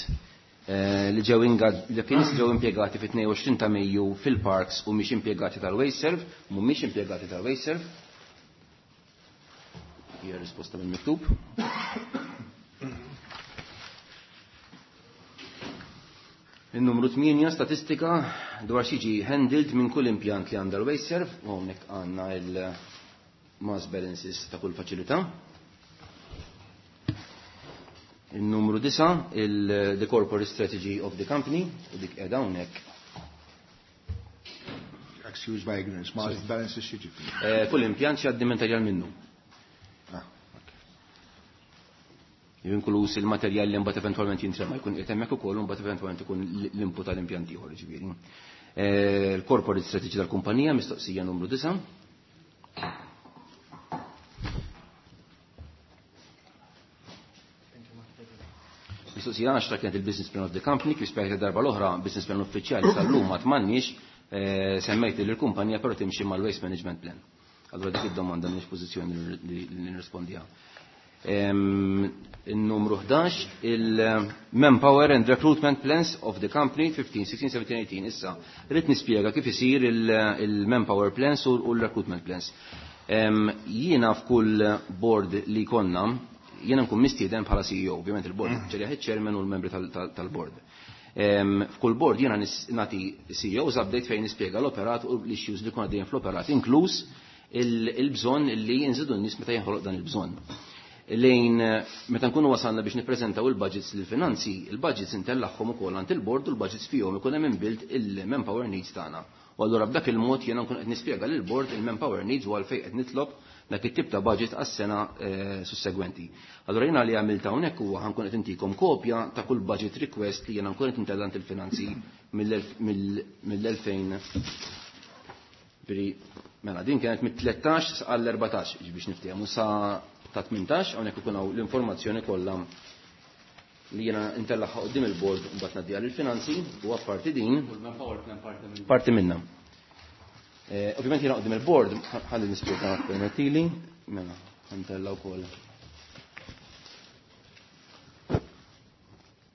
li ġew jekk in-nies ġew impjegati fit-22 ta' Mejju fil-parks u mhix impjegati tal-WasteServ, mhumiex impjegati tal-WasteServ. Hija risposta mill-miktub. Il-numru 8, statistika dwar xi handled minn kull impjant li għandha l-WasteServ, u hawnhekk għandna il-mass balances ta' kull faċilità. Il-numru 9, the corporate strategy of the company, u dik qiegħda hawnhekk. Excuse my ignorance, mass balances xi ġifieri? Kull impjant xi għaddi materjal minnu. Inkluż il-materjal li mbagħad eventwalment jintrema jkun qiegħed hemmhekk ukoll u mbagħad eventwalment ikun l-input tal-impjant ieħor, ġifieri. Il-corporate strategy tal-kumpanija, mistoqsija numru 9. Mistoqsija 10 kienet il-business plan of the company, kif spjegajt darba l-oħra, business plan uffiċjali sal-lum ma tmannix, semmejt li l-kumpanija però timxi mal-waste management plan. Allura dik id-domanda m'iniex pożizzjoni li nirrispondiha. Il-numru 11, il-Manpower and Recruitment Plans of the Company 15, 16, 17, 18. Issa, rrid nispjega kif isir il-Manpower Plans u l-Recruitment Plans. Jiena f'kull board li konna, jiena nkun mistieden bħala CEO, ovvjament il-board, ċerja chairman u l-membri tal-board. F'kull board jiena nagħti CEOs update fejn nispjega l-operat u l-issues li kun għaddejjin fl-operat, inkluż il-bżonn li jinżidu n-nies meta jinħoloq dan il-bżonn. Lejn meta nkunu wasalna biex nippreżentaw il-budgets lill-finanzi, il-budgets intellagħhom ukoll għand il-board u l-budgets fihom ikun hemm inbuilt il-manpower needs tagħna. U allura b'dak il-mod jiena nkun qed nispjega lill-board il-manpower needs u għalfejn qed nitlob dak it-tip ta' budget għas-sena sussegwenti. Allura jiena li għamilt hawnhekk huwa ħankun qed intikom kopja ta' kull budget request li jiena nkun qed intella' il-finanzi mill-elfejn. Ġifieri, mela din kienet mit-tlettax għall-erbatax, ġifieri biex niftehmu sa ta' 18, hawnhekk ikun hawn l-informazzjoni kollha li jiena intellagħha quddiem il-board u mbagħad ngħaddiha lill-finanzi u apparti din parti minnha. Ovvjament jiena quddiem il-board, ħalli nispjega permettili, mela ntella' wkoll.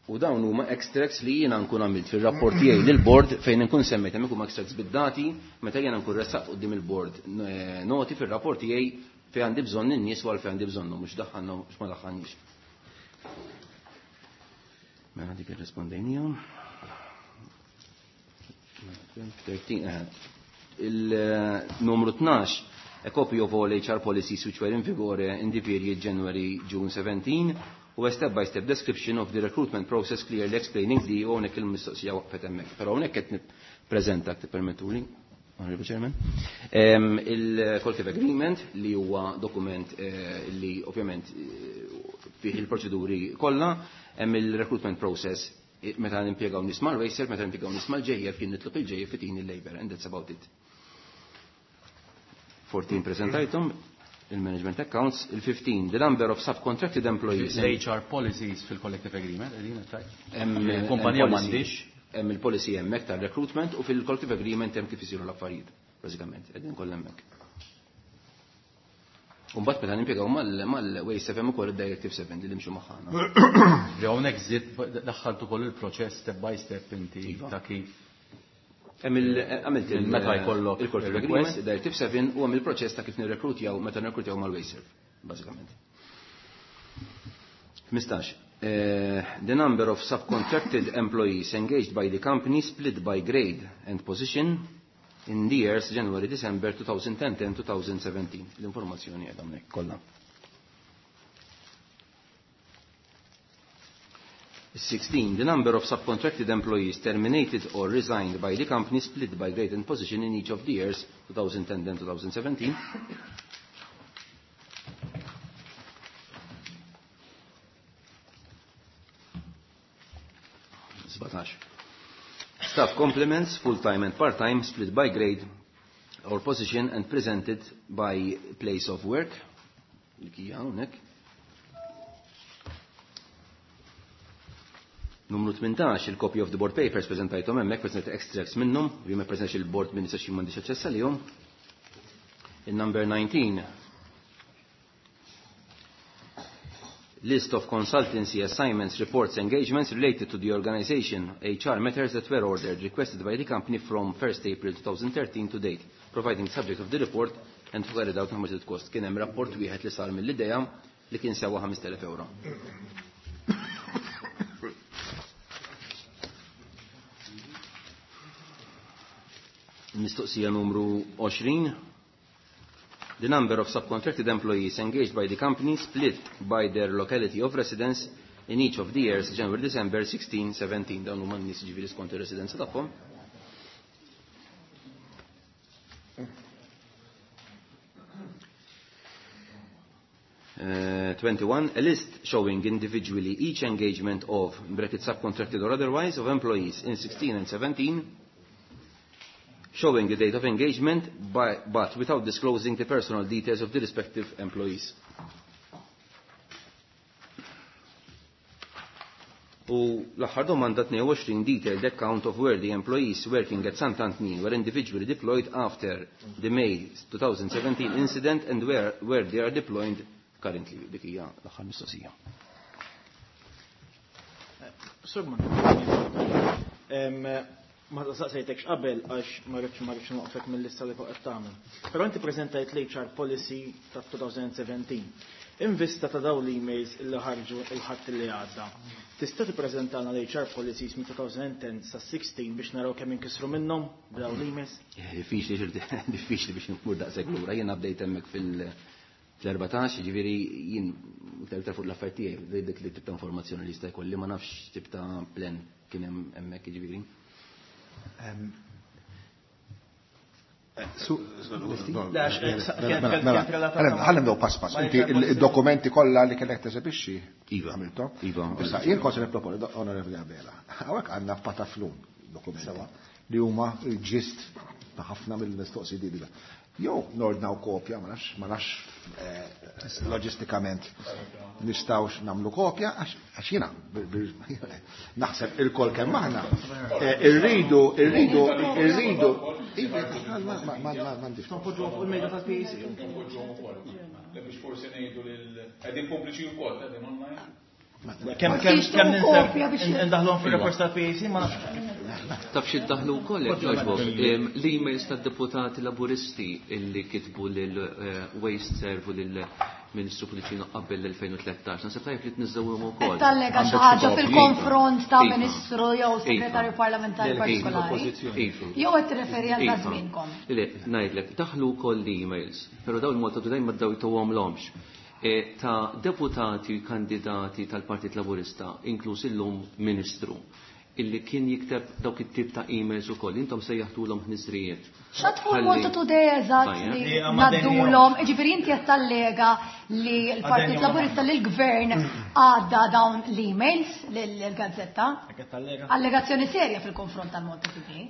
U dawn huma extracts li jiena nkun għamilt fir-rapport tiegħi lill-board fejn inkun semmejt hemmhekk huma extracts bid-dati meta jiena nkun ressaqt quddiem il-board noti fir-rapport tiegħi fejn għandi bżonn in-nies u għalfejn għandi bżonnhom, mhux daħħalna u mhux ma daħħalniex. Mela dik irrispondejnija. 13, il-numru 12, a copy of all HR policies which were in vigore in the period January June 17, u a step-by-step description of the recruitment process clearly explaining the u hawnhekk il-mistoqsija waqfet hemmhekk. Però hawnhekk qed nippreżenta tippermettuli, Honorable Chairman, il-Collective Agreement li huwa dokument li ovvjament fih il-proċeduri kollha, hemm il-recruitment process meta nimpjegaw nies mal-WasteServ, meta nimpjegaw nies mal-JF, jien nitlob il-JF itini il-labor, and that's about it. 14 presentajtum, il-management accounts, il-15, the number of subcontracted employees. L-HR policies fil-collective agreement, qegħdin qed tgħid? Hemm Il-kumpanija hemm policy. m'għandix. Hemm il-policy hemmhekk tar-recruitment u fil-collective agreement hemm kif isiru l-affarijiet, bażikament, qegħdin kollha hemmhekk. U mbagħad meta nimpjegaw mal-Waste 7 ukoll id-Directive 7 li nimxu magħha. Ġew hawnhekk żied daħħalt ukoll il-proċess step by step inti Iva. ta' kif. Hemm għamilt Meta jkollok il-collective il-request. agreement, Directive 7 u hemm il-proċess ta' kif nirrekrutjaw meta nirrekrutjaw mal-WasteServ, bażikament. 15. The number of subcontracted employees engaged by the company split by grade and position in the years January, December 2010 and 2017. L-informazzjoni qiegħda hawnhekk kollha. 16. The number of subcontracted employees terminated or resigned by the company split by grade and position in each of the years 2010 and 2017. Staff complements, full-time and part-time, split by grade or position and presented by place of work. Numru 18, il-copy of the board papers prezentajtom hemmhekk, prezentajt extracts minnhom, u jien ma ppreżentax il-board minutes għax jien m'għandix aċċess għalihom. Il-number 19, list of consultancy assignments, reports, engagements related to the organization HR matters that were ordered, requested by the company from 1st April 2013 to date, providing subject of the report and who carried out how much it cost. Kien hemm rapport wieħed li sar mill-idea li kien sewa 5,000 euro. Mistoqsija numru 20. The number of subcontracted employees engaged by the company split by their locality of residence in each of the years January December 16 17 dawn huma n-nies ġifieri skont ir-residenza tagħhom. 21, a list showing individually each engagement of bracket subcontracted or otherwise of employees in 16 and 17 showing the date of engagement but without disclosing the personal details of the respective employees. U l-aħħar domanda 22 detailed account of where the employees working at Sant Antnin were individually deployed after the May 2017 incident and where they are deployed currently. Dik hija l-aħħar mistoqsija. Surman, ma saqsejtekx qabel għax ma rridx noqfek mill-lista li fuq qed tagħmel. Però inti preżentajt l-HR policy ta' 2017. In vista ta' dawn l-emails illi ħarġu il-ħadd li għadda. Tista' tippreżentana l-HR policies minn 2010 sa 16 biex naraw kemm inkisru minnhom b'dawn l-emails? Diffiċli biex nmur daqshekk lura. Jien bdejt hemmhekk fil-14, ġifieri jien iktar fuq l-affarijiet tiegħi dik li tip ta' informazzjoni li jista' jkolli ma nafx tip ta' plan kien hemm hemmhekk ġifieri. Ħalli nibdew pass pass. Inti id-dokumenti kollha li kellek teżebixxi Iva. għamilthom? Iva. Issa jien kont se nipproponi Onorevoli Abela. Hawnhekk għandna pataflun dokumenti li huma l-ġist ta' ħafna mill-mistoqsijiet li Jew nordnaw kopja, ma nafx loġistikament nistgħux nagħmlu kopja, għax jiena naħseb il-kol kemm aħna. Irridu. M'għandix. Npoġġuhom fuq il-mejda tal-PAC. Biex forsi ngħidu lil qegħdin pubbliċi wkoll, qegħdin online. Kemm indaħluhom fir-rapport tal-PAC ma nafx. Taf xi ddaħlu wkoll jekk jogħġbok. L-emails tad-deputati Laburisti illi kitbu lil Waste Serve u lil Ministru Pullicino qabel l-2013. Naħseb tajjeb li tniżżewhom ukoll. Qed tallega xi ħaġa fil-konfront ta' Ministru jew Segretarju Parlamentari partikolari. Jew qed tirreferi għal ta' żmienkom. Le, ngħidlek, daħlu wkoll l-emails, però dawn il-Malta Today ma ddawtuhomlhomx. Ta' deputati kandidati tal-Partit Laburista, inkluż illum Ministru, illi kien jikteb dawk it-tip ta' emails ukoll, intom sejjaħtulhom ħniżrijiet. X'għad Malta Today eżatt li ngħaddulhom, jiġifieri inti qed tallega li l-Partit Laburista li l-Gvern għadda dawn l-emails lill-gazzetta. Allegazzjoni serja fil-konfront tal-Malta Today.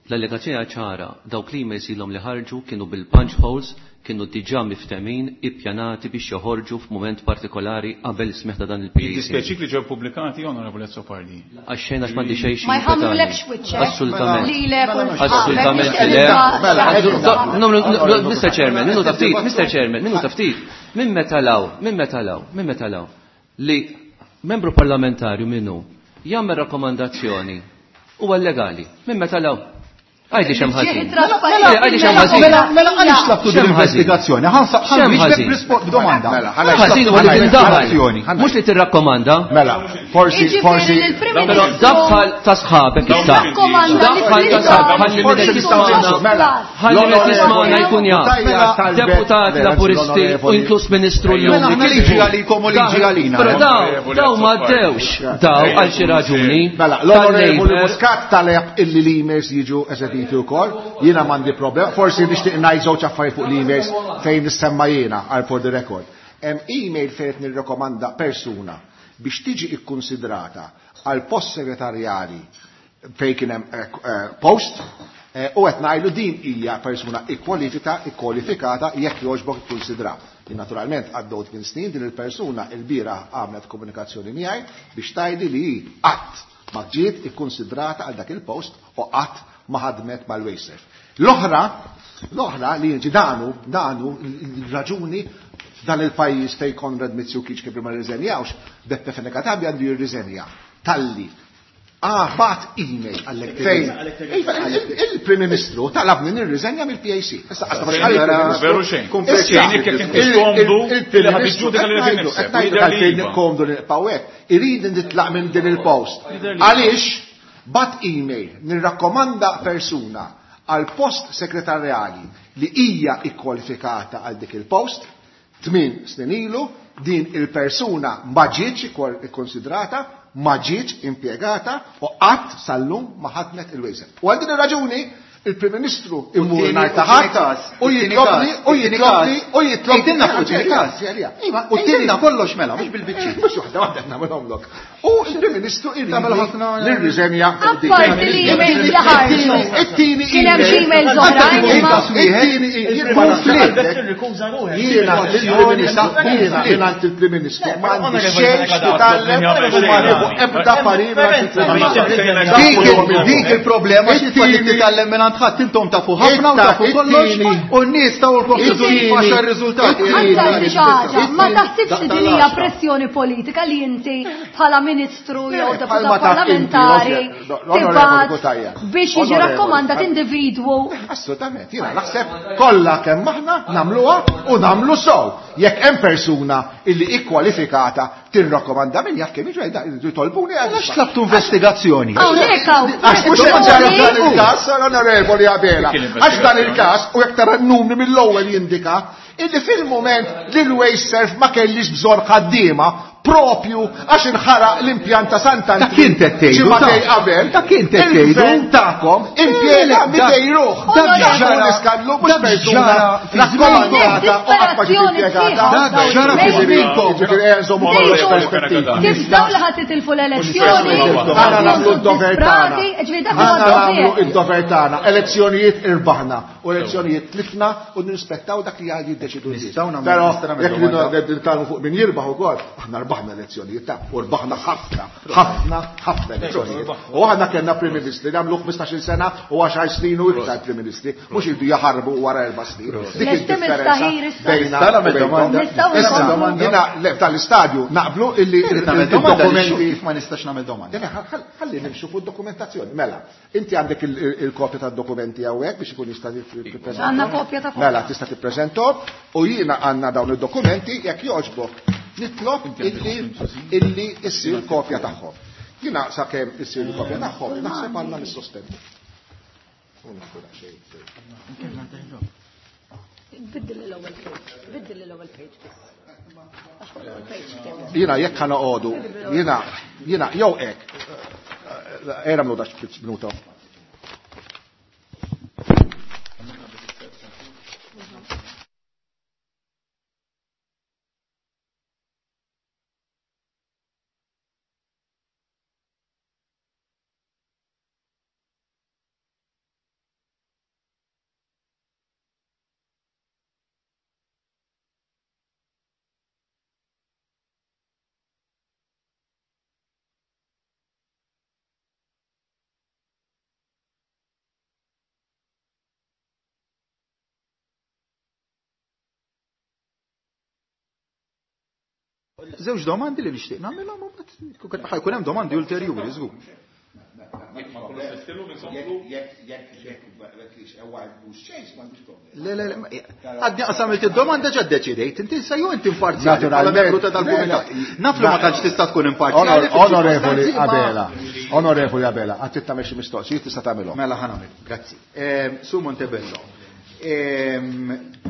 L-allegazzjoni ċara, dawk l-emails ilhom li ħarġu kienu bil-punch holes, kienu diġà miftemin, ippjanati biex joħorġu f'mument partikolari qabel smigħ ta' dan il-PAC. Jiddispjaċik li ġew pubblikati, Onorevoli Azzopardi? Għax xejn għax m'għandi xejn xi Ma jħammlekx wiċċek. Assolutament. Lilek u l-sħabek, Assolutament nixtieq le. nibqa' Mela, Mr. Chairman, minuta ftit, Mr. Chairman, minuta ftit. Min meta law, min meta law, min meta law li membru parlamentarju minnu jagħmel rakkomandazzjoni huwa legali. Min meta law? Għajdi xem ħażin. Għajdi xem ħażin. Mela, mela għaliex tlabtu din l-investigazzjoni? Ħan wieġbek b'domanda. Mela, ħażin huwa li tindaħal. Mhux li tirrakkomanda. Mela, forsi forsi. Però daħħal ta' sħabek issa. Daħħal ta' sħabek ħalli min qed jismagħna. Mela, Ħalli min qed jismagħna jkun jaf. Deputati Laburisti u inkluż Ministru llum. Mela aħna liġi għalikom u liġi għalina. Però daw daw ma ddewx daw għal xi raġuni. Mela, l-Onorevoli Muscat talab illi l-emails jiġu eżebiti wkoll, jiena m'għandi problema, forsi nixtieq ngħid żewġ affarijiet fuq l-emails fejn nissemma jiena għal for the record. Hemm email fejn qed nirrekomanda persuna biex tiġi ikkonsidrata għal post segretarjali fejn kien hemm post u qed ngħidlu din hija persuna ikkwalifika, ikkwalifikata jekk jogħġbok ikkunsidra. Li naturalment għaddew 8 snin din il-persuna il-bieraħ għamlet komunikazzjoni miegħi biex tgħidli li hi qatt ma ġiet ikkonsidrata għal dak il-post u qatt ma ħadmet mal-Wasteserv. L-oħra, l-oħra li jiġi danu, danu l-raġuni f'dan il-pajjiż fejn Konrad Mizzi u Keith Schembri ma rriżenjawx, Beppe Fenech Adami għandu jirriżenja talli bat email fejn il-Prim Ministru talabni nirriżenja mill-PAC. Issa qasta ma xqal il-Prim Ministru. Veru xejn. Xejn jekk inti skomdu li ħad tiġġudika lilek innifsek. Qed ngħidu għalfejn nikkomdu li nibqgħu hekk. Irid nitlaq minn din il-post. Għaliex bat email nirrakkomanda persuna għal post segretarjali li hija ikkwalifikata għal dik il-post 8 snin ilu, din il-persuna ma ġietx ikkonsidrata, ma ġietx impjegata u qatt sal-lum ma ħadmet il-Wasteserv. U għal din ir-raġuni il-Prim Ministru immur nhar ta' ħadd u jitlobni u jitlobni u jitlobni. Għidilna fuq it-tieni każ. Iva, U t-tieni kollox mela, mhux bil-biċċiet. Mhux waħda waħda qed nagħmilhomlok. U il-Prim Ministru irid Tagħmel ħafna nirriżenja fuq dik. Apparti li emails li ħarġu. It-tieni Kien hemm xi emails oħrajn imma It-tieni Jiena il-Prim Ministru, jiena mingħand il-Prim Ministru, m'għandi xejn x'titgħallem u ma nieħu ebda parir mingħand il-Prim Ministru. Dik il-problema xi tfal titgħallem mingħand ħadd intom tafu ħafna u tafu kollox u n-nies taw il-konklużjoni għaxar riżultati. Ħansaqsi xi ħaġa, ma taħsibx li din hija pressjoni politika li inti bħala ministru jew deputat parlamentari tibgħat biex jiġi rakkomandat individwu. Assolutament, jiena naħseb kollha kemm aħna nagħmluha u nagħmlu sew. Jekk hemm persuna illi ikkwalifikata tirrakkomanda min jaf kemm jiġu jitolbuni għal. Għax tlabtu investigazzjoni? Hawnhekk hawn. Għax mhux qed nara dan il-każ, onorevoli Abela. Għax dan il-każ u jekk tara n-numri mill-ewwel jindika illi fil-mument li l-Wasteserv ma kellix bżonn ħaddiema propju għax inħaraq l-impjant ta' Sant'Antnin. Dak int qed tgħidu, Ġimgħatej qabel. Dak int qed tgħidu. Il-gvern tagħkom impjega mitej ruħ. Dak Dak ġara- l-iskandlu mhux dak persuna ġara fi rakkomandata u qatt ma ġiet Disperazzjoni impjegata. sħiħa. Dak ġara fi żmienkom. Ġifieri ejja nżommu kollox perspettiva. Tibżgħu li ħadd titilfu l-elezzjoni. Aħna nagħmlu d-dover tagħna. Ġifieri dak huwa Aħna nagħmlu dover. id-dover tagħna. Elezzjonijiet irbaħna u elezzjonijiet tlifna u nirrispettaw dak li għad jiddeċidu n-nies. Nistgħu nagħmlu- Però nistgħu nagħmlu jekk domanda. nitkellmu fuq min jirbaħ ukoll, aħna rbaħna elezzjonijiet ta' u rbaħna ħafna, ħafna, ħafna elezzjonijiet. U aħna kellna Prim Ministri li għamlu 15-il sena u 10 snin u iktar Prim Ministri, mhux iridu jaħarbu wara 4 snin. Dik Lesti id-differenza mill-taħir issa. bejna Nistgħu nagħmel u bejnkom. domanda? Nistgħu Issa, nagħmlu. jiena le, f'dan-istadju naqblu illi Irrid nagħmel domanda li il-dokumenti kif ma nistax nagħmel domanda. Dene, ħalli nimxu fuq dokumentazzjoni. Mela, inti għandek il-kopja tad-dokumenti hawnhekk biex ikun jista' tippreżenta. Għandna kopja ta' Mela, tista' tippreżentahom u jiena għandna dawn id-dokumenti jekk jogħġbok nitlob illi issir kopja tagħhom. Jiena sakemm issir il-kopja tagħhom, naħseb għandna nissospendu. Biddil l-ewwel page. Biddil l-ewwel page biss. Għax fuq l-ewwel page kien. Jiena jekk ħa noqogħdu, jiena jiena jew hekk. Ejja nagħmlu dax ftit minuta. Żewġ domandi li nixtieq nagħmilhom u mbagħad ħajkun hemm domandi ulterjuri żgur. Jekk ma nkunux lestillum inkomplu. Jekk jekk wild goose chase m'għandix problema. Le le le, għadni qasamilt id-domanda ġa ddeċidejt, inti issa jew inti imparzjali bħala membru ta' dal-kumitat. Naf li ma tantx tista' tkun imparzjali. Onorevoli Abela, Onorevoli Abela, għad trid tagħmel xi mistoqsijiet tista' tagħmilhom. Mela ħa nagħmel, grazzi. Su Montebello,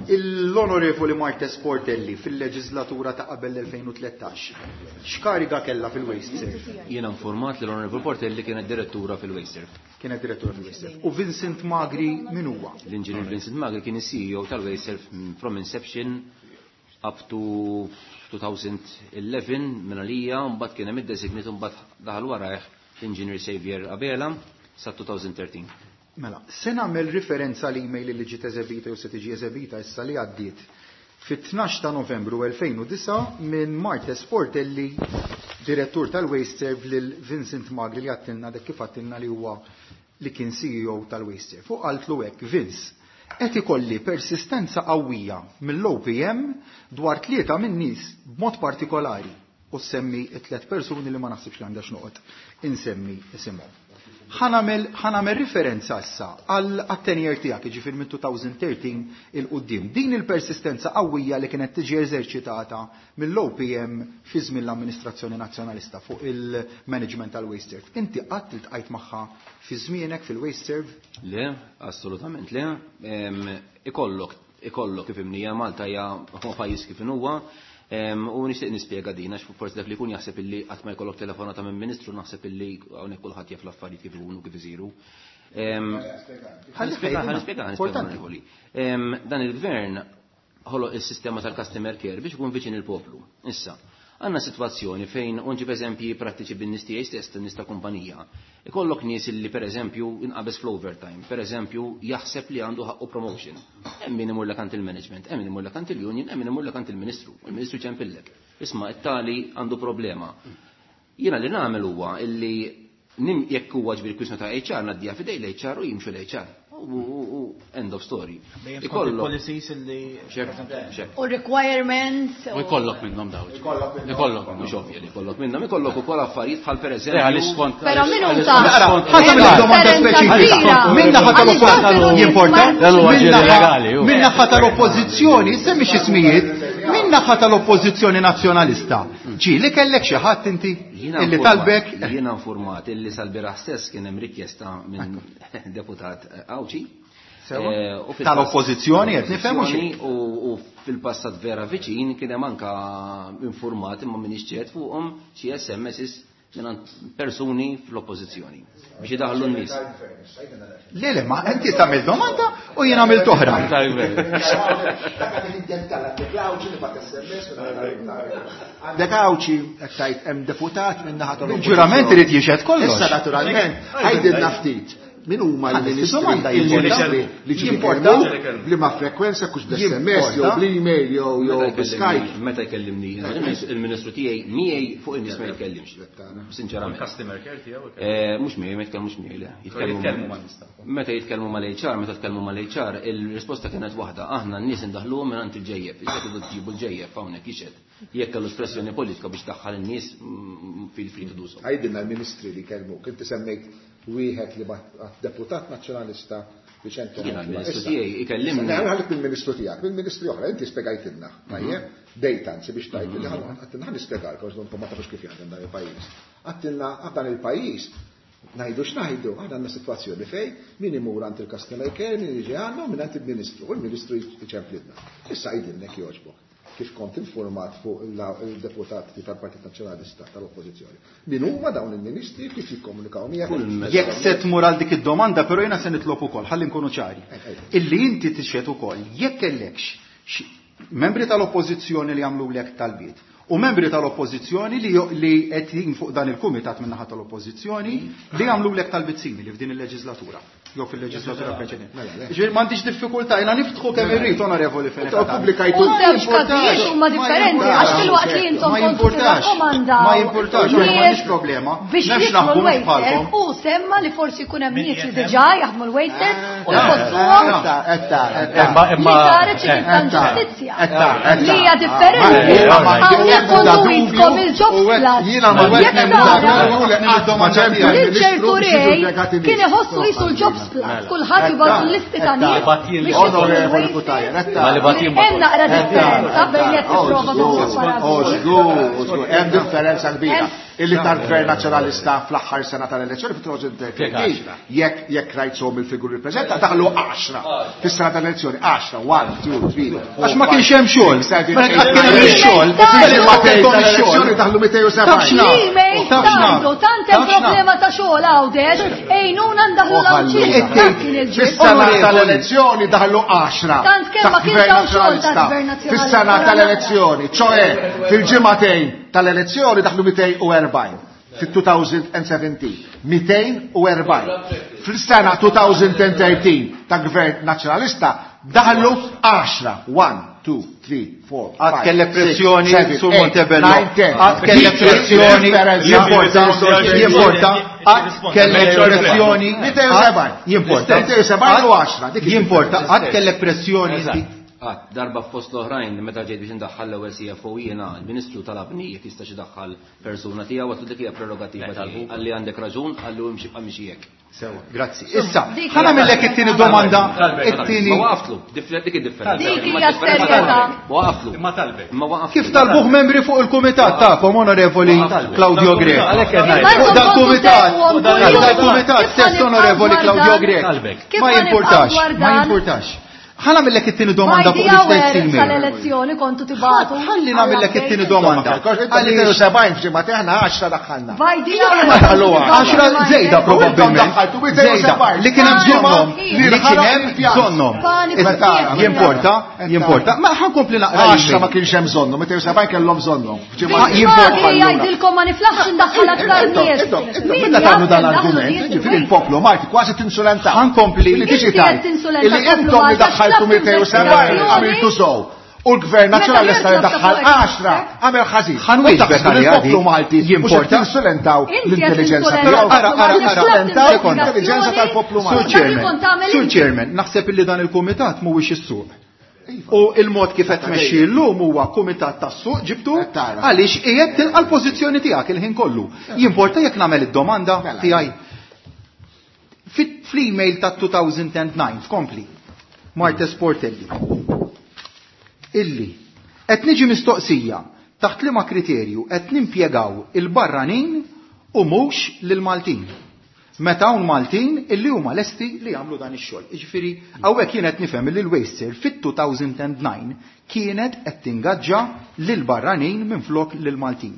L-Onorevoli Marthese Portelli fil-leġiżlatura ta' qabel l-2013, x'kariga kellha fil-WasteServ? Jiena informat li l-Onorevoli Portelli kienet direttura fil-WasteServ. Kienet direttura fil-WasteServ. U Vincent Magri min huwa? L-Inġinier Vincent Magri kien is-CEO tal-WasteServ from inception up to 2011 minn għalija, mbagħad kien hemm id-designate u mbagħad daħal warajh l-Inġinier Xavier Abela sa 2013. Mela, se nagħmel riferenza l-email li ġiet eżebita jew se tiġi eżebita issa li għaddiet fit-12 ta' Novembru 2009 minn Marthese Portelli, direttur tal-WasteServ lil Vincent Magri li għattilna dek kif għattilna li huwa li kien CEO tal-WasteServ. U qaltlu hekk, Vince, qed ikolli persistenza qawwija mill-OPM dwar 3 minn nies b'mod partikolari u semmi t-3 persuni li ma naħsibx li għandha x'noqgħod insemmi isimhom. Ħanamel riferenza issa għal tenure tiegħek, jiġifieri minn 2013 il-qudiem. Din il-persistenza qawwija li kienet tiġi eżerċitata mill-OPM fi żmien l-Amministrazzjoni Nazzjonalista fuq il-management tal-WasteServ. Inti qatt iltqajt magħha fi żmienek fil-WasteServ? Le, assolutament le. Ikollok kif imnija Malta hija pajjiż kif huwa. U nixtieq nispjega din għax forsi dak li jkun jaħseb illi qatt ma jkollok telefonata minn ministru naħseb illi hawnhekk kulħadd jaf l-affarijiet kif ikunu kif isiru. Ħanispjega. Dan il-gvern ħoloq is-sistema tal-customer care biex ikun viċin il-poplu. Issa, għandna sitwazzjoni fejn unġib eżempji prattiċi bin-nies tiegħi stess, nies ta' kumpanija. Ikollok nies illi pereżempju inqabeż fl-overtime, pereżempju jaħseb li għandu ħaqqu promotion. Hemm min imur għand il-management, hemm min imur għand il-union, hemm min imur għand il-ministru. U l-ministru ċempillek. Isma' it-tali għandu problema. Jiena li nagħmel huwa illi jekk huwa ġbir kwistjoni ta' HR ngħaddiha f'idej l-HR u jimxu l-HR. U end of story. Ikollok policies li u requirements. U jkollok minnhom daw. Ikollok mhux ovvja li jkollok minnhom, ikollok ukoll affarijiet bħal pereżempju. Però min hu ta' ħadd domanda speċifika. Min naħa tal-oppożizzjoni Min naħa tal-oppożizzjoni, semmi xi ismijiet, min naħa tal-oppożizzjoni nazzjonalista. Ġi li kellek xi ħadd inti illi talbek. Jiena informat illi sal-bieraħ stess kien hemm rikjesta minn deputat Għawdxi. Tal-oppożizzjoni qed nifhem U fil-passat vera viċin kien hemm anka informat imma m'iniex ċert fuqhom xi SMSs minn persuni fl-oppożizzjoni biex idaħlu n-nies. Le, le, ma inti tagħmel domanda u jien għamilt oħra. Għandek Għawdxi qed tgħid hemm deputat minn naħa tal-oppożizzjoni. Ġurament irid jixhed kollox. Issa naturalment, ħajdilna ftit. Min huma l-ministri li jimporta bliema frekwenza kux bl-SMS jew bl-email jew bl-Skype. Meta jkellimni il-ministru tiegħi miegħi fuq in-nies ma jitkellimx. Sinċerament. Customer care tiegħu. Mhux miegħi ma jitkellmux miegħi le. Jitkellmu man-nies. Meta jitkellmu mal-HR, meta tkellmu mal-HR, il-risposta kienet waħda. Aħna n-nies indaħluhom minn il-ġejjeb. Issa tridu tġibu l-ġejjeb hawnhekk jixhed. Jekk kellu espressjoni politika biex daħħal in-nies fil free to do so. Għidilna l-ministri li kellmuk, inti semmejt wieħed li bat deputat nazzjonalista riċentement. Jiena l-ministru tiegħi ikellimni. Ħallik mill-ministru tiegħek, mill-ministri oħra, inti spjegajtilna, tajjeb, dejta anzi biex tgħid li ħa nispjegalkom għax ma tafux kif jaħdem dan il-pajjiż. Għattilna dan il-pajjiż ngħidu x'ngħidu, aħna għandna sitwazzjoni fejn min imur għand il-customer care, min jiġi għandna u min għand il-ministru, u l-ministru jċemplilna. Issa għidilnek jogħġbok kif kont informat fuq il-deputati tal-Partit Nazzjonalista tal-Oppożizzjoni. Min huma dawn il-ministri kif jikkomunikaw miegħek? Jekk se tmur għal dik id-domanda, però jiena se nitlob ukoll, ħalli nkunu ċari. Illi inti tixhed ukoll jekk kellekx membri tal-Oppożizzjoni li għamlu lek talbiet u membri tal-Oppożizzjoni li qed fuq dan il-kumitat min-naħa tal-Oppożizzjoni li għamlu lek talbiet simili f'din il-leġislatura jew fil-leġislatura preċedenti. Ġifieri m'għandix diffikultà, jiena niftħu kemm irrid onorevoli Fenech. U żewġ każijiet huma differenti għax filwaqt li intom Ma jimpurtax. Ma jimpurtax, m'għandix problema. Biex jidħlu l-WasteServ u semma li forsi jkun hemm nies li diġà jaħdmu l-WasteServ u jħossuhom li saret xi tip ta' inġustizzja. Li hija differenti. Hawnhekk kontu idkom il-jobs plus. Jiena ma Lil ċertu rej kien iħossu qisu l-jobs plus, kulħadd jibgħatu l-listi ta' nies. Onorevoli Cutajar, Hemm naqra differenza bejn jekk tipprova tagħmel Hemm differenza kbira. Illi tal-Gvern Nazzjonalista fl-aħħar sena tal-elezzjoni fit-2013, jekk jekk rajt som il-figuri preżenta, daħlu 10 fis-sena tal-elezzjoni, 10, 1, 2, 3. Għax ma kienx hemm xogħol. Mela kien hemm xogħol, tal-elezzjoni daħlu 270. L-email tantu, tant hemm problema ta' xogħol Għawdex, ejnuna ndaħlu l-Għawdxin. Fis-sena tal-elezzjoni daħlu 10. Tant kemm ma kienx hawn xogħol tal-Gvern Nazzjonalista. Fis-sena tal-elezzjoni, ċoe fil-ġimagħtejn tal-elezzjoni daħlu 240 fit-2017. 240. Fil-sena 2013 ta' Gvern Nazzjonalista daħlu 10. 1, 2, 3, 4, Għad kellek pressjoni sur Montebello. Għad kellek pressjoni jimporta, jimporta. Għad kellek pressjoni. 270. Jimporta. 270 u 10. Jimporta. Għad kellek pressjoni. Għad, darba fost l-oħrajn, meta ġejt biex indaħħal l-ewwel CFO jiena, il-Ministru talabni jekk jistax idaħħal persuna tiegħu għatlu dik hija prerogattiva tiegħi. Qalli għandek raġun, qallu imxi bqa' mixi hekk. Sewa, grazzi. Issa, ħa nagħmillek it-tieni domanda, it-tieni. Ma waqaftlu, dik id-differenza. Dik hija serjetà. Ma waqaftlu. Imma talbek. Ma waqaftlu. Kif talbuh membri fuq il-kumitat tagħkom, Onorevoli Claudio Grech. Fuq dal-kumitat, fuq dal-kumitat stess Onorevoli Claudio Grech. Ma jimpurtax, ma jimpurtax. Ħa nagħmillek it-tieni domanda fuq l-istess email. Sal-elezzjoni kontu tibatu. Ħalli nagħmillek it-tieni domanda. Għaliex 70 f'ġimgħa aħna 10 daħħalna. Ma daħluha. 10 żejda probabbilment. Żejda li kien hemm bżonnhom, li kien hemm bżonnhom. Jimporta, jimporta. Ma ħa nkompli naqra. 10 ma kienx hemm bżonnhom, 270 kellhom bżonnhom. Jimporta. Jgħidilkom ma niflaħx indaħħal aktar nies. Meta tagħmlu dan l-argument, ġifieri il-poplu Malti kważi tinsulenta. Ħa nkompli. Li tiġi tgħid. Illi intom li daħħaltu 270 għamiltu sow. U l-Gvern Nazzjonalista li daħħal 10 għamel ħażin. Ħa nwieġbek għaliha Il-poplu Malti jimporta. Tinsulentaw l-intelligenza Però ara ara ara l-intelligenza tal-poplu Malti. Sur Chairman, Sur Chairman, naħseb illi dan il-kumitat mhuwiex is-suq. U il-mod kif qed tmexxi llum huwa kumitat tas-suq ġibtu għaliex qiegħed tilqa' l-pożizzjoni tiegħek il-ħin kollu. Jimporta jekk nagħmel id-domanda tiegħi. Fl-email ta' 2009 tkompli Marthese Portelli. Illi qed niġi mistoqsija taħt liema kriterju qed nimpjegaw il-barranin u mhux lill-Maltin. Meta hawn Maltin illi huma lesti li jagħmlu dan ix-xogħol. Jiġifieri hawnhekk jien qed nifhem li l-Wasteserv fit-2009 kienet qed tingaġġa lil barranin minflok lil Maltin.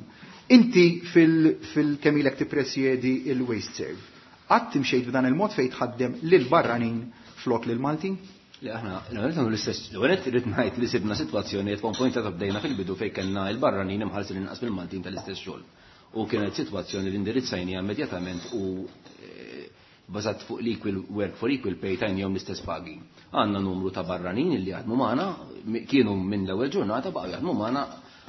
Inti fil-kemm ilek tippresjedi il-Wasteserv, qatt imxejt b'dan il-mod fejn tħaddem lil barranin flok lil Maltin? Le, aħna, l-ewwel nagħmlu l-istess. L-ewwel qed irrid ngħid li sibna sitwazzjoni qed point ta' bdejna fil-bidu fejn kellna l-barranin imħallsin inqas mill-Maltin tal-istess xogħol. U kienet sitwazzjoni li indirizzajniha immedjatament u bażat fuq l-equal work for equal pay tajnihom l-istess pagi. Għandna numru ta' barranin li jaħdmu magħna, kienu minn l-ewwel ġurnata baqgħu jaħdmu magħna,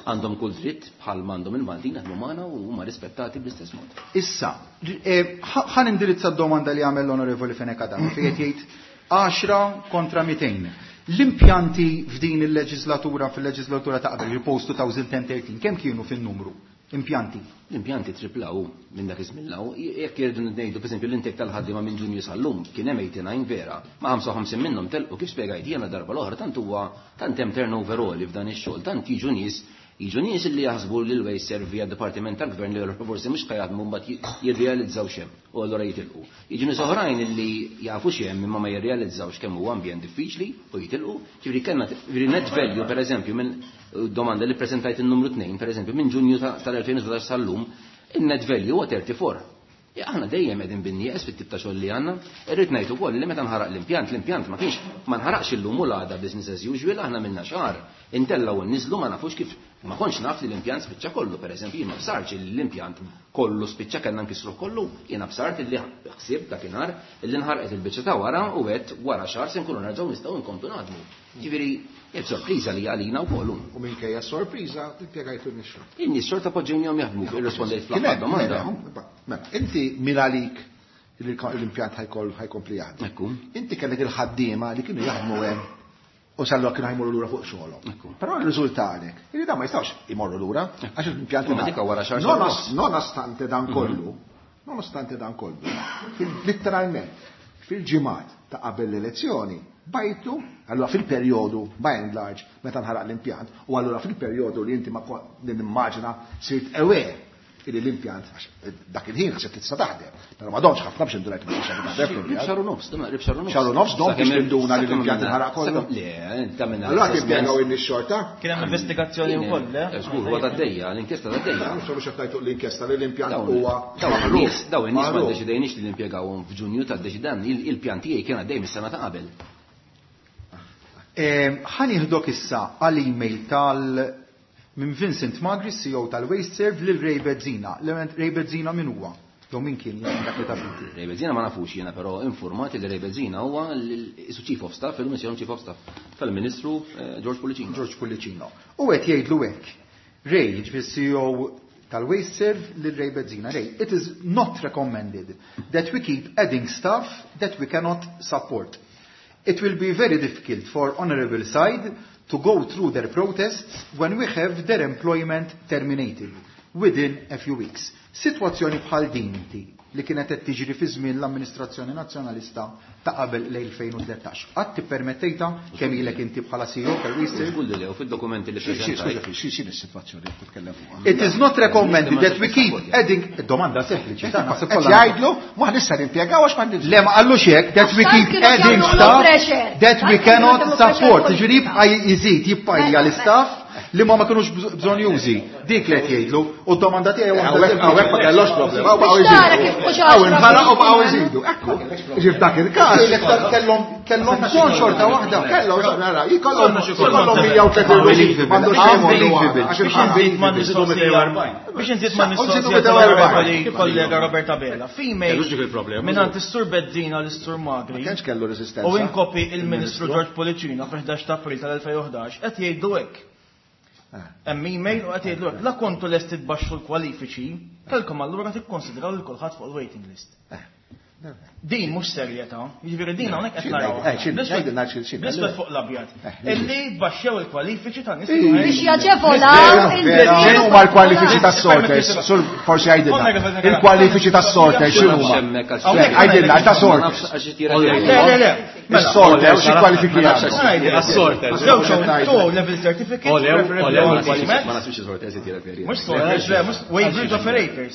għandhom kull dritt bħal m'għandhom il-Maltin jaħdmu magħna u huma rispettati bl-istess mod. Issa, ħa nindirizza d-domanda li għamel l-Onorevoli Fenech Adami fejn qed jgħid 10 kontra 200. L-impjanti f'din il-leġislatura, fil-leġislatura ta' qabel, il-post 2013, kemm kienu fin-numru? Impjanti. L-impjanti triplaw minn dak iż-żmien law. Jekk irridu ngħidu pereżempju l-intake tal-ħaddiema minn Ġunju sal-lum kien hemm 89 vera, ma 55 minnhom telqu kif spjegajt jiena darba l-oħra tant huwa tant hemm turnover għoli f'dan ix-xogħol, tant jiġu nies jiġu nies li jaħsbu li l-Wasteserv hija dipartiment tal-gvern li forsi mhux jaħdmu mbagħad jirrealizzaw x'hemm u allura jitilqu. Jiġu nies oħrajn li jafu x'hemm imma ma jirrealizzawx kemm huwa ambjent diffiċli u jitilqu. Ġifieri kellna ġifieri net value pereżempju minn domanda li preżentajt in-numru 2 pereżempju minn Ġunju tal-2017 sal-lum, in-net value huwa 34. Ja, aħna dejjem qegħdin bin-nieqes fit-tip ta' xogħol li għandna. Irrid ngħid ukoll li meta nħaraq l-impjant, l-impjant ma kienx ma nħaraqx illum u l-għada business as usual, aħna minna xahar intellgħu nniżlu ma nafux kif ma kontx naf li l-impjant spiċċa kollu, pereżempju, jien ma bsartx li l-impjant kollu spiċċa kellna nkissru kollu, jiena bsart li ħsieb dakinhar li nħarqet il-biċċa ta' wara u għedt wara xahar se nkunu nerġgħu nistgħu nkomplu naħdmu. Ġifieri, hija sorpriża li għalina wkoll. U minkejja sorpriża impjegajtu n-nies xorta. In-nies xorta poġġejnihom jaħdmu, irrispondejt fl-aħħar domanda. Mela, inti min għalik l-impjant ħajkompli jaħdem. Ekku. Inti kellek il-ħaddiema li kienu jaħdmu hemm U sallu kienu ħajmorru lura fuq xogħolhom. Però r-riżultat li dan ma jistgħux imorru lura għax l-impjant Ma dik wara xahar. Nonostante dan kollu, nonostante dan kollu, literalment fil-ġimgħat ta' qabel l-elezzjoni bajtu, allura fil-perjodu by and large meta nħaraq l-impjant, u allura fil-perjodu li inti ma nimmaġina sirt aware illi l-impjant, għax dak il-ħin ħsibt li tista' taħdem, però ma domx ħafna biex indunajt ma tistax taħdem fl-impjant. Xahar u nofs, qrib xahar u nofs. Xahar u nofs dom biex tinduna li l-impjant inħaraq kollu. Le, tagħmilna. Allura timpjegaw in xorta? Kien hemm investigazzjoni wkoll, le? Żgur, huwa għaddejja, l-inkjesta għaddejja. Mhux mhux qed ngħidu l-inkjesta li l-impjant huwa Dawn in-nies ma ddeċidejniex li nimpjegawhom f'Ġunju tad-deċidan, il-pjan tiegħi kien għaddej mis-sena ta' qabel. Ħa nieħdok issa għal email tal minn Vincent Magri, CEO tal-WasteServ, lil Ray Bezzina. Ray Bezzina min huwa? Jew min kien dak li taf inti? Ray Bezzina ma nafux jiena, però informati li Ray Bezzina huwa l-isu Chief of Staff, il-Missjoni Chief of Staff tal-Ministru George Pullicino. George Pullicino. U qed jgħidlu hekk. Ray, ġifieri CEO tal-WasteServ lil Ray Bezzina. Ray, it is not recommended that we keep adding staff that we cannot support. It will be very difficult for Honorable Said to go through their protests when we have their employment terminated within a few weeks. Situazzjoni bħal din inti li kienet qed tiġri fi żmien l-Amministrazzjoni Nazzjonalista ta' qabel l-2013. Qatt tippermettejta kemm ilek inti bħala CEO tal-WasteServ? Żgur li le, u fid-dokumenti li preżentajt. Xi xi is-sitwazzjoni qed titkellem fuqha? It is not recommended that we keep adding domanda sempliċi. Ta' naħseb kollha. Jgħidlu ma nista' nimpjegaw għax m'għandix. Le ma qallux hekk that we keep adding staff that we cannot support. Ġifieri jibqa' jżid jibqa' l-istaff li ma kinux bżonn jużi. Dik li qed jgħidlu u d-domanda tiegħi waħda. Hawnhekk ma kellhomx problema. Hawn inħaraq u baqgħu jżidu. Ekku, ġif dak il-każ. Kellhom kellhom bżonn xorta waħda. Kellhom nara, jkollhom 130 Biex nżid ma' mistoqsija tal-onorevoli kollega Robert Abela. F'email mingħand is-Sur Bezzina l-Sur Magri. Ma kienx kellu resistenza. U inkopi il-Ministru George Pullicino fil-11 ta' April tal-2011 qed jgħidu hekk. Hemm email u qed jgħidu hekk, la kontu lesti tbaxxu l-kwalifiċi, kellkom allura tikkonsidraw lil kulħadd fuq il-waiting list. Din mhux serjetà, jiġifieri din hawnhekk qed naraw. L-iswed fuq l-abjad. Illi baxxew il-kwalifiċi ta' nies. Biex jaġevolaw X'inhu huma l-kwalifiċi tas-sorters? Sur forsi għidilna. Il-kwalifiċi tas-sorters x'inhu huma? Għidilna ta' sorters. Le, le, le. Is-sorters xi kwalifiki għandhom? Għas-sorters. Żewġ level certificate. Ma nasibx sorters jirreferi. Mhux sorters, le, mhux weighbridge operators.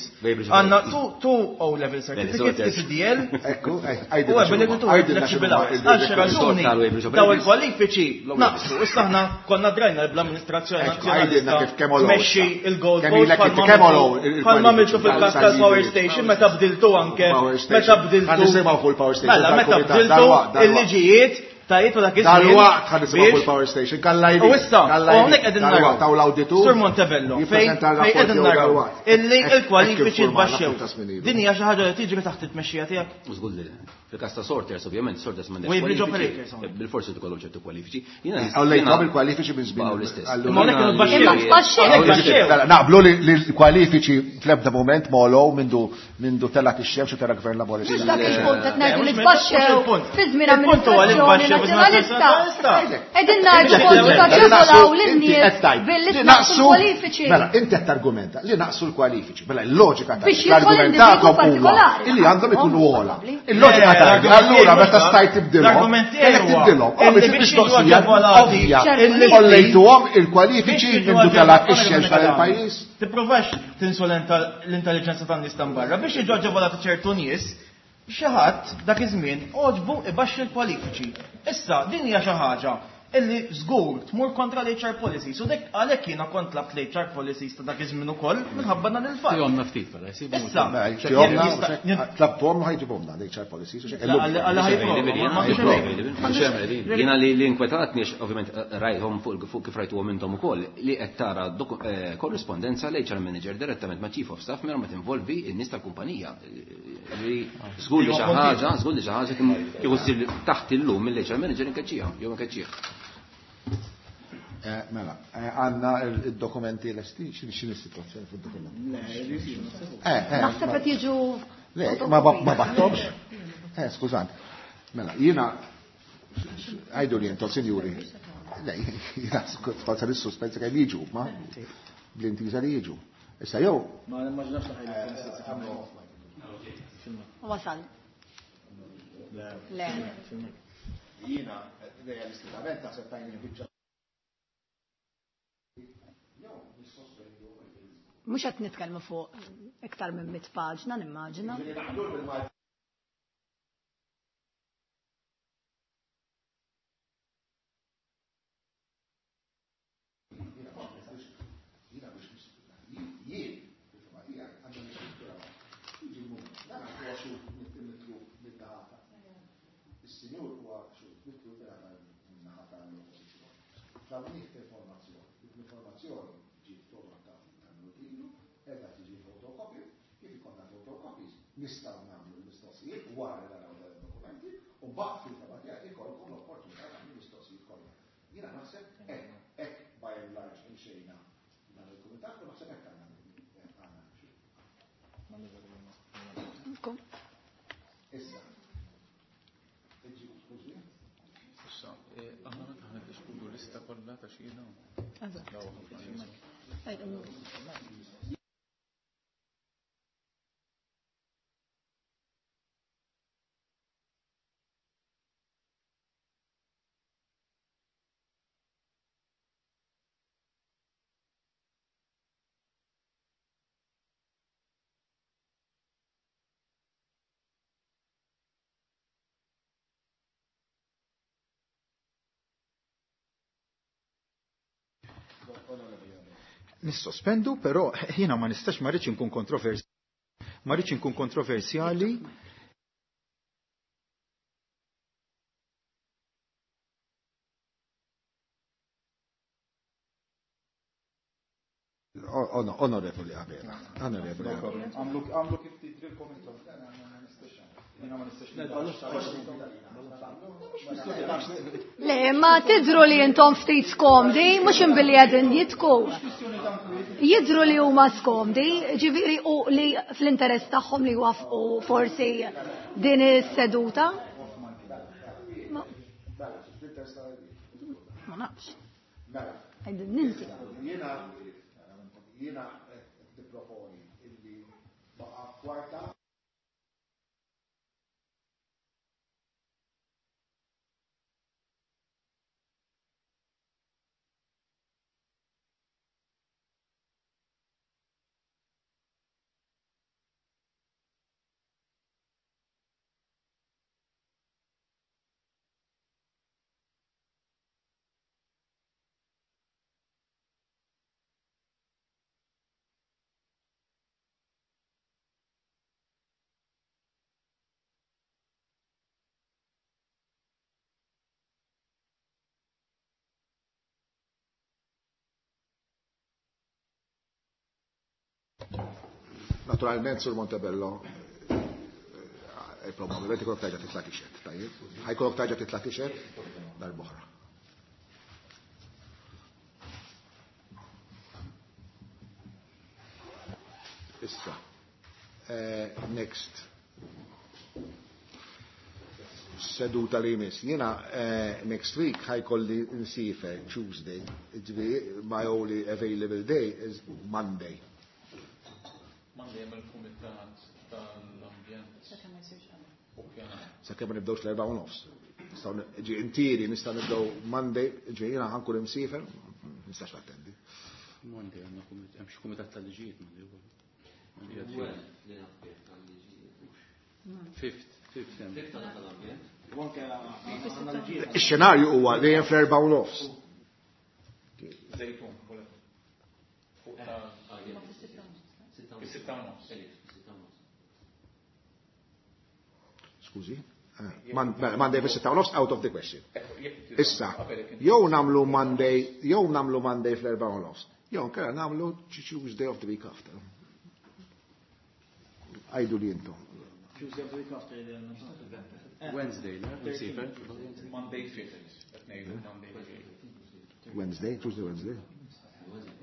Għandna two O level certificate, ECDL. Ekku, U ability to work flexible hours. Għal xi raġuni daw il-kwalifiċi naqsu. Issa aħna konna drajna bl-amministrazzjoni nazzjonalista tmexxi il-gold post bħalma għamiltu fil-każ tal-power station meta bdiltu anke meta bdiltu. Nisimgħu fuq il-power station. Mela meta bdiltu il-liġijiet tajt u dak iż-żmien. Dalwaqt ħa nisimgħu fuq il-power station. Kalla U issa, u hawnhekk qegħdin naraw. Taw l-awditur. Sur Montebello, fejn qegħdin naraw illi l-kwalifiċi tbaxxew. Din hija xi ħaġa li tiġri taħt it-tmexxija tiegħek? Żgur li le. Fil-każ ta' sorters, ovvjament, sorters m'għandekx Weighbridge kwalifiċi. operators. Bil-forsi tkollhom ċertu kwalifiċi. Għallejthom il-kwalifiċi minn żmien. Baqgħu l-istess. Imma hawnhekk kienu tbaxxew. Imma tbaxxew. Hawnhekk tbaxxew. Mela, Naqblu li l-kwalifiċi fl-ebda moment ma għolow mindu telgħet ix-xemx u tela' gvern laburista. Mhux dak il-punt qed ngħidu li Mhux tbaxxew il-punt. fi żmien Il-punt huwa li amministrazzjoni tbaxxew fi żmien nazzjonalista. nazzjonalista. Qegħdin ngħidu kontu taġevolaw lin-nies billi tnaqqsu l-kwalifiċi. Mela, inti qed targumenta li naqsu l-kwalifiċi. Mela, il-loġika ta' Biex jidħol l-argument individwu tagħkom huwa partikolari. illi għandhom ikunu ogħla. Probabbli. Il-loġika Le, ta' l-argument allura tiegħi meta mhux stajt dak. tibdilhom, L-argument tiegħi kellek huwa tibdilhom. illi Għamil biex jiġu mistoqsija aġevolati ovvja. il-listi- Ollejtuhom il-kwalifiċi Biex jiġu mindu telgħet aġevolati- ix-xemx tal-pajjiż. Tipprovax tinsolenta l-intelligenza tan-nies tan barra biex jiġu aġevolati ċertu nies, xi ħadd dak iż-żmien għoġbu ibaxxi l-kwalifiċi. Issa din hija xi ħaġa illi żgur tmur kontra l-HR policies. U dik għalhekk jiena kont tlabt l-HR policies ta' dak iż-żmien ukoll minħabba dan il-fatt. Tihomna ftit però, jsibu. Issa, Tlabtuhom u ħajġibhomna l-HR policies. Għalla ħajprova, ma m'għandux Available. Jiena li inkwetatni, għax ovvjament rajthom fuq kif rajtuhom intom ukoll, li qed tara korrispondenza l-HR manager direttament ma' chief of staff mingħajr ma tinvolvi n-nies tal-kumpanija. Żgur li xi ħaġa, żgur li xi ħaġa kieku ssir taħt illum mill-HR manager inkeċċiha, jew inkeċċih. Mela, għandna il-dokumenti l-esti, x'inhi s-sitwazzjoni fid-dokumenti? Naħseb qed jiġu Le, ma battomx. Skużant. Mela, jiena għajdu li jentom, sinjuri. Le, jiena tfalsa lis-suspensa kemm jiġu, ma bl-intiża li jiġu. Issa jew. Ma nimmaġinax li ħajlu. Wasal. Le. Jiena realistikament naħseb tajni biċċa. Mhux qed nitkellmu fuq iktar minn 100 paġna nimmaġina. L-informazzjoni ġiet prodotta ta' minuti ilu, qiegħda tiġi photocopy, kif ikollna photocopies nistgħu nagħmlu l-mistoqsijiet wara li naraw dan id-dokumenti u mbagħad fil-fema tiegħi ikollkom l-opportunità tagħmlu mistoqsijiet kollha. Jiena naħseb hekk, hekk by and large imxejna dan il-kumitat u naħseb hekk għandna nimxu. Issa. Skużi. Issa, aħna meta ħa niddiskutu lista kollha ta' xhieda. Nissospendu, però jiena ma nistax ma rridx inkun kontrovers ma rridx inkun kontroversjali. Onorevoli Abela, onorevoli Abela. Għamlu kif tidrilkom intom. Le, ma tidru li intom ftit skomdi, mhux imbilli qegħdin jitku. Jidru li huma skomdi, ġifieri u li fl-interess tagħhom li wafqu forsi din is-seduta. Ma nafx. Għajdin ninti. Jiena nipproponi illi baqa' kwarta. Naturalment, Sur Montebello, probabbilment ikollok tarġa' titla' tixhed, tajjeb? Ħajkollok tarġa' titla' tixhed darb'oħra. Issa, next. Seduta li jmiss. Jiena next week ħajkolli nsifer Tuesday, ġifieri my only available day is Monday. Monday hemm il-Kumitat tal-Ambjent. Sakemm ma nibdewx l-4:30. Nistgħu ġi intieri nistgħu nibdew Monday, ġi jiena ħankun imsiefer, nistax nattendi. Monday għandna kumitat, hemm xi kumitat tal-liġijiet Monday ukoll. Fifth, fifth hemm. Fifth għandna tal-ambjent. Ix-xenarju huwa li hemm fl-4:30. Zejtun, fuq ta' Fis-sitta u nofs. Skużi? Monday fis-6:30 out of the question. Issa, jew nagħmlu Monday, jew nagħmlu Monday fl-4:30. Jew nkella nagħmlu Tuesday of the week after. Għajdu li intom. Tuesday of the week after. Wednesday, le? Monday 5th. Qed ngħidu Monday 5th. Wednesday, Tuesday, Wednesday.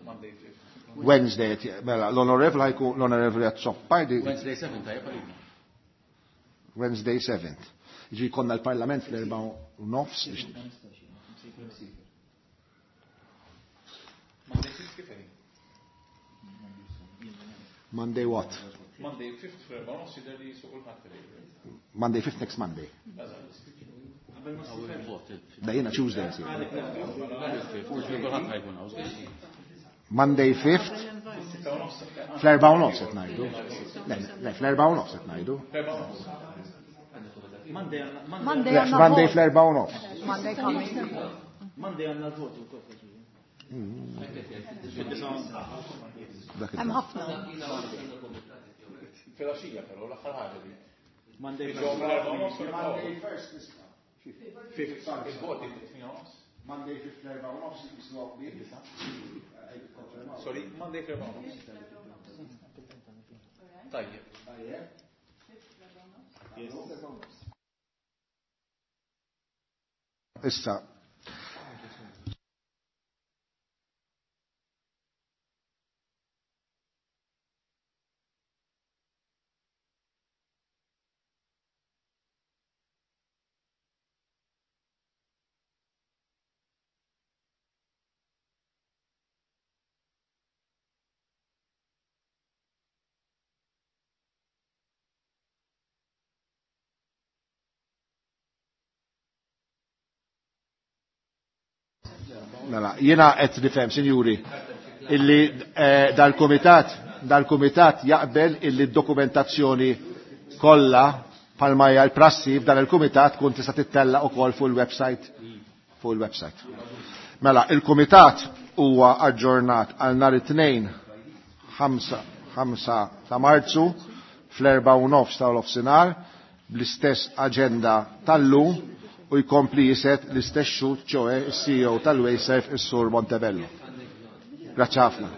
Monday 5th. Wednesday, mela, l-onorevoli ħajkun l-onorevoli Azzopardi. Wednesday 7th, tajjeb għalina. Wednesday 7th. Ġi konna l-parlament fl-4:30. Monday what? Monday 5th fl-erba' nofs jidher li jisuq kulħadd. Monday 5th next Monday. Da jiena Tuesday nsir. Monday 5th fl-erba' u nofs qed ngħidu. Le, fl-erba' u nofs qed ngħidu. Monday fl-erba' u nofs. Monday coming. Monday għandna l-voti wkoll. Hemm ħafna. Filgħaxija però l-aħħar ħaġa di. Monday first Il-voti nofs. Monday fifth l-erba' u nofs jiswa Sorry, Monday fl-erba' u nofs. Tajjeb. Issa. Mela, jiena qed nifhem, sinjuri, illi dal-kumitat dal-kumitat jaqbel illi d-dokumentazzjoni kollha bħalma hija l-prassi f'dan il-kumitat tkun tista' tittella wkoll fuq il-website fuq il-website. Mela, il-kumitat huwa aġġornat għal nhar it-tnejn 5 ta' Marzu fl-4:30 ta' nofsinhar bl-istess aġenda tal-lum u jkompli jiset l-istess xhud ċoe s-CEO tal-Wasteserv is-Sur Montebello. Grazzi ħafna.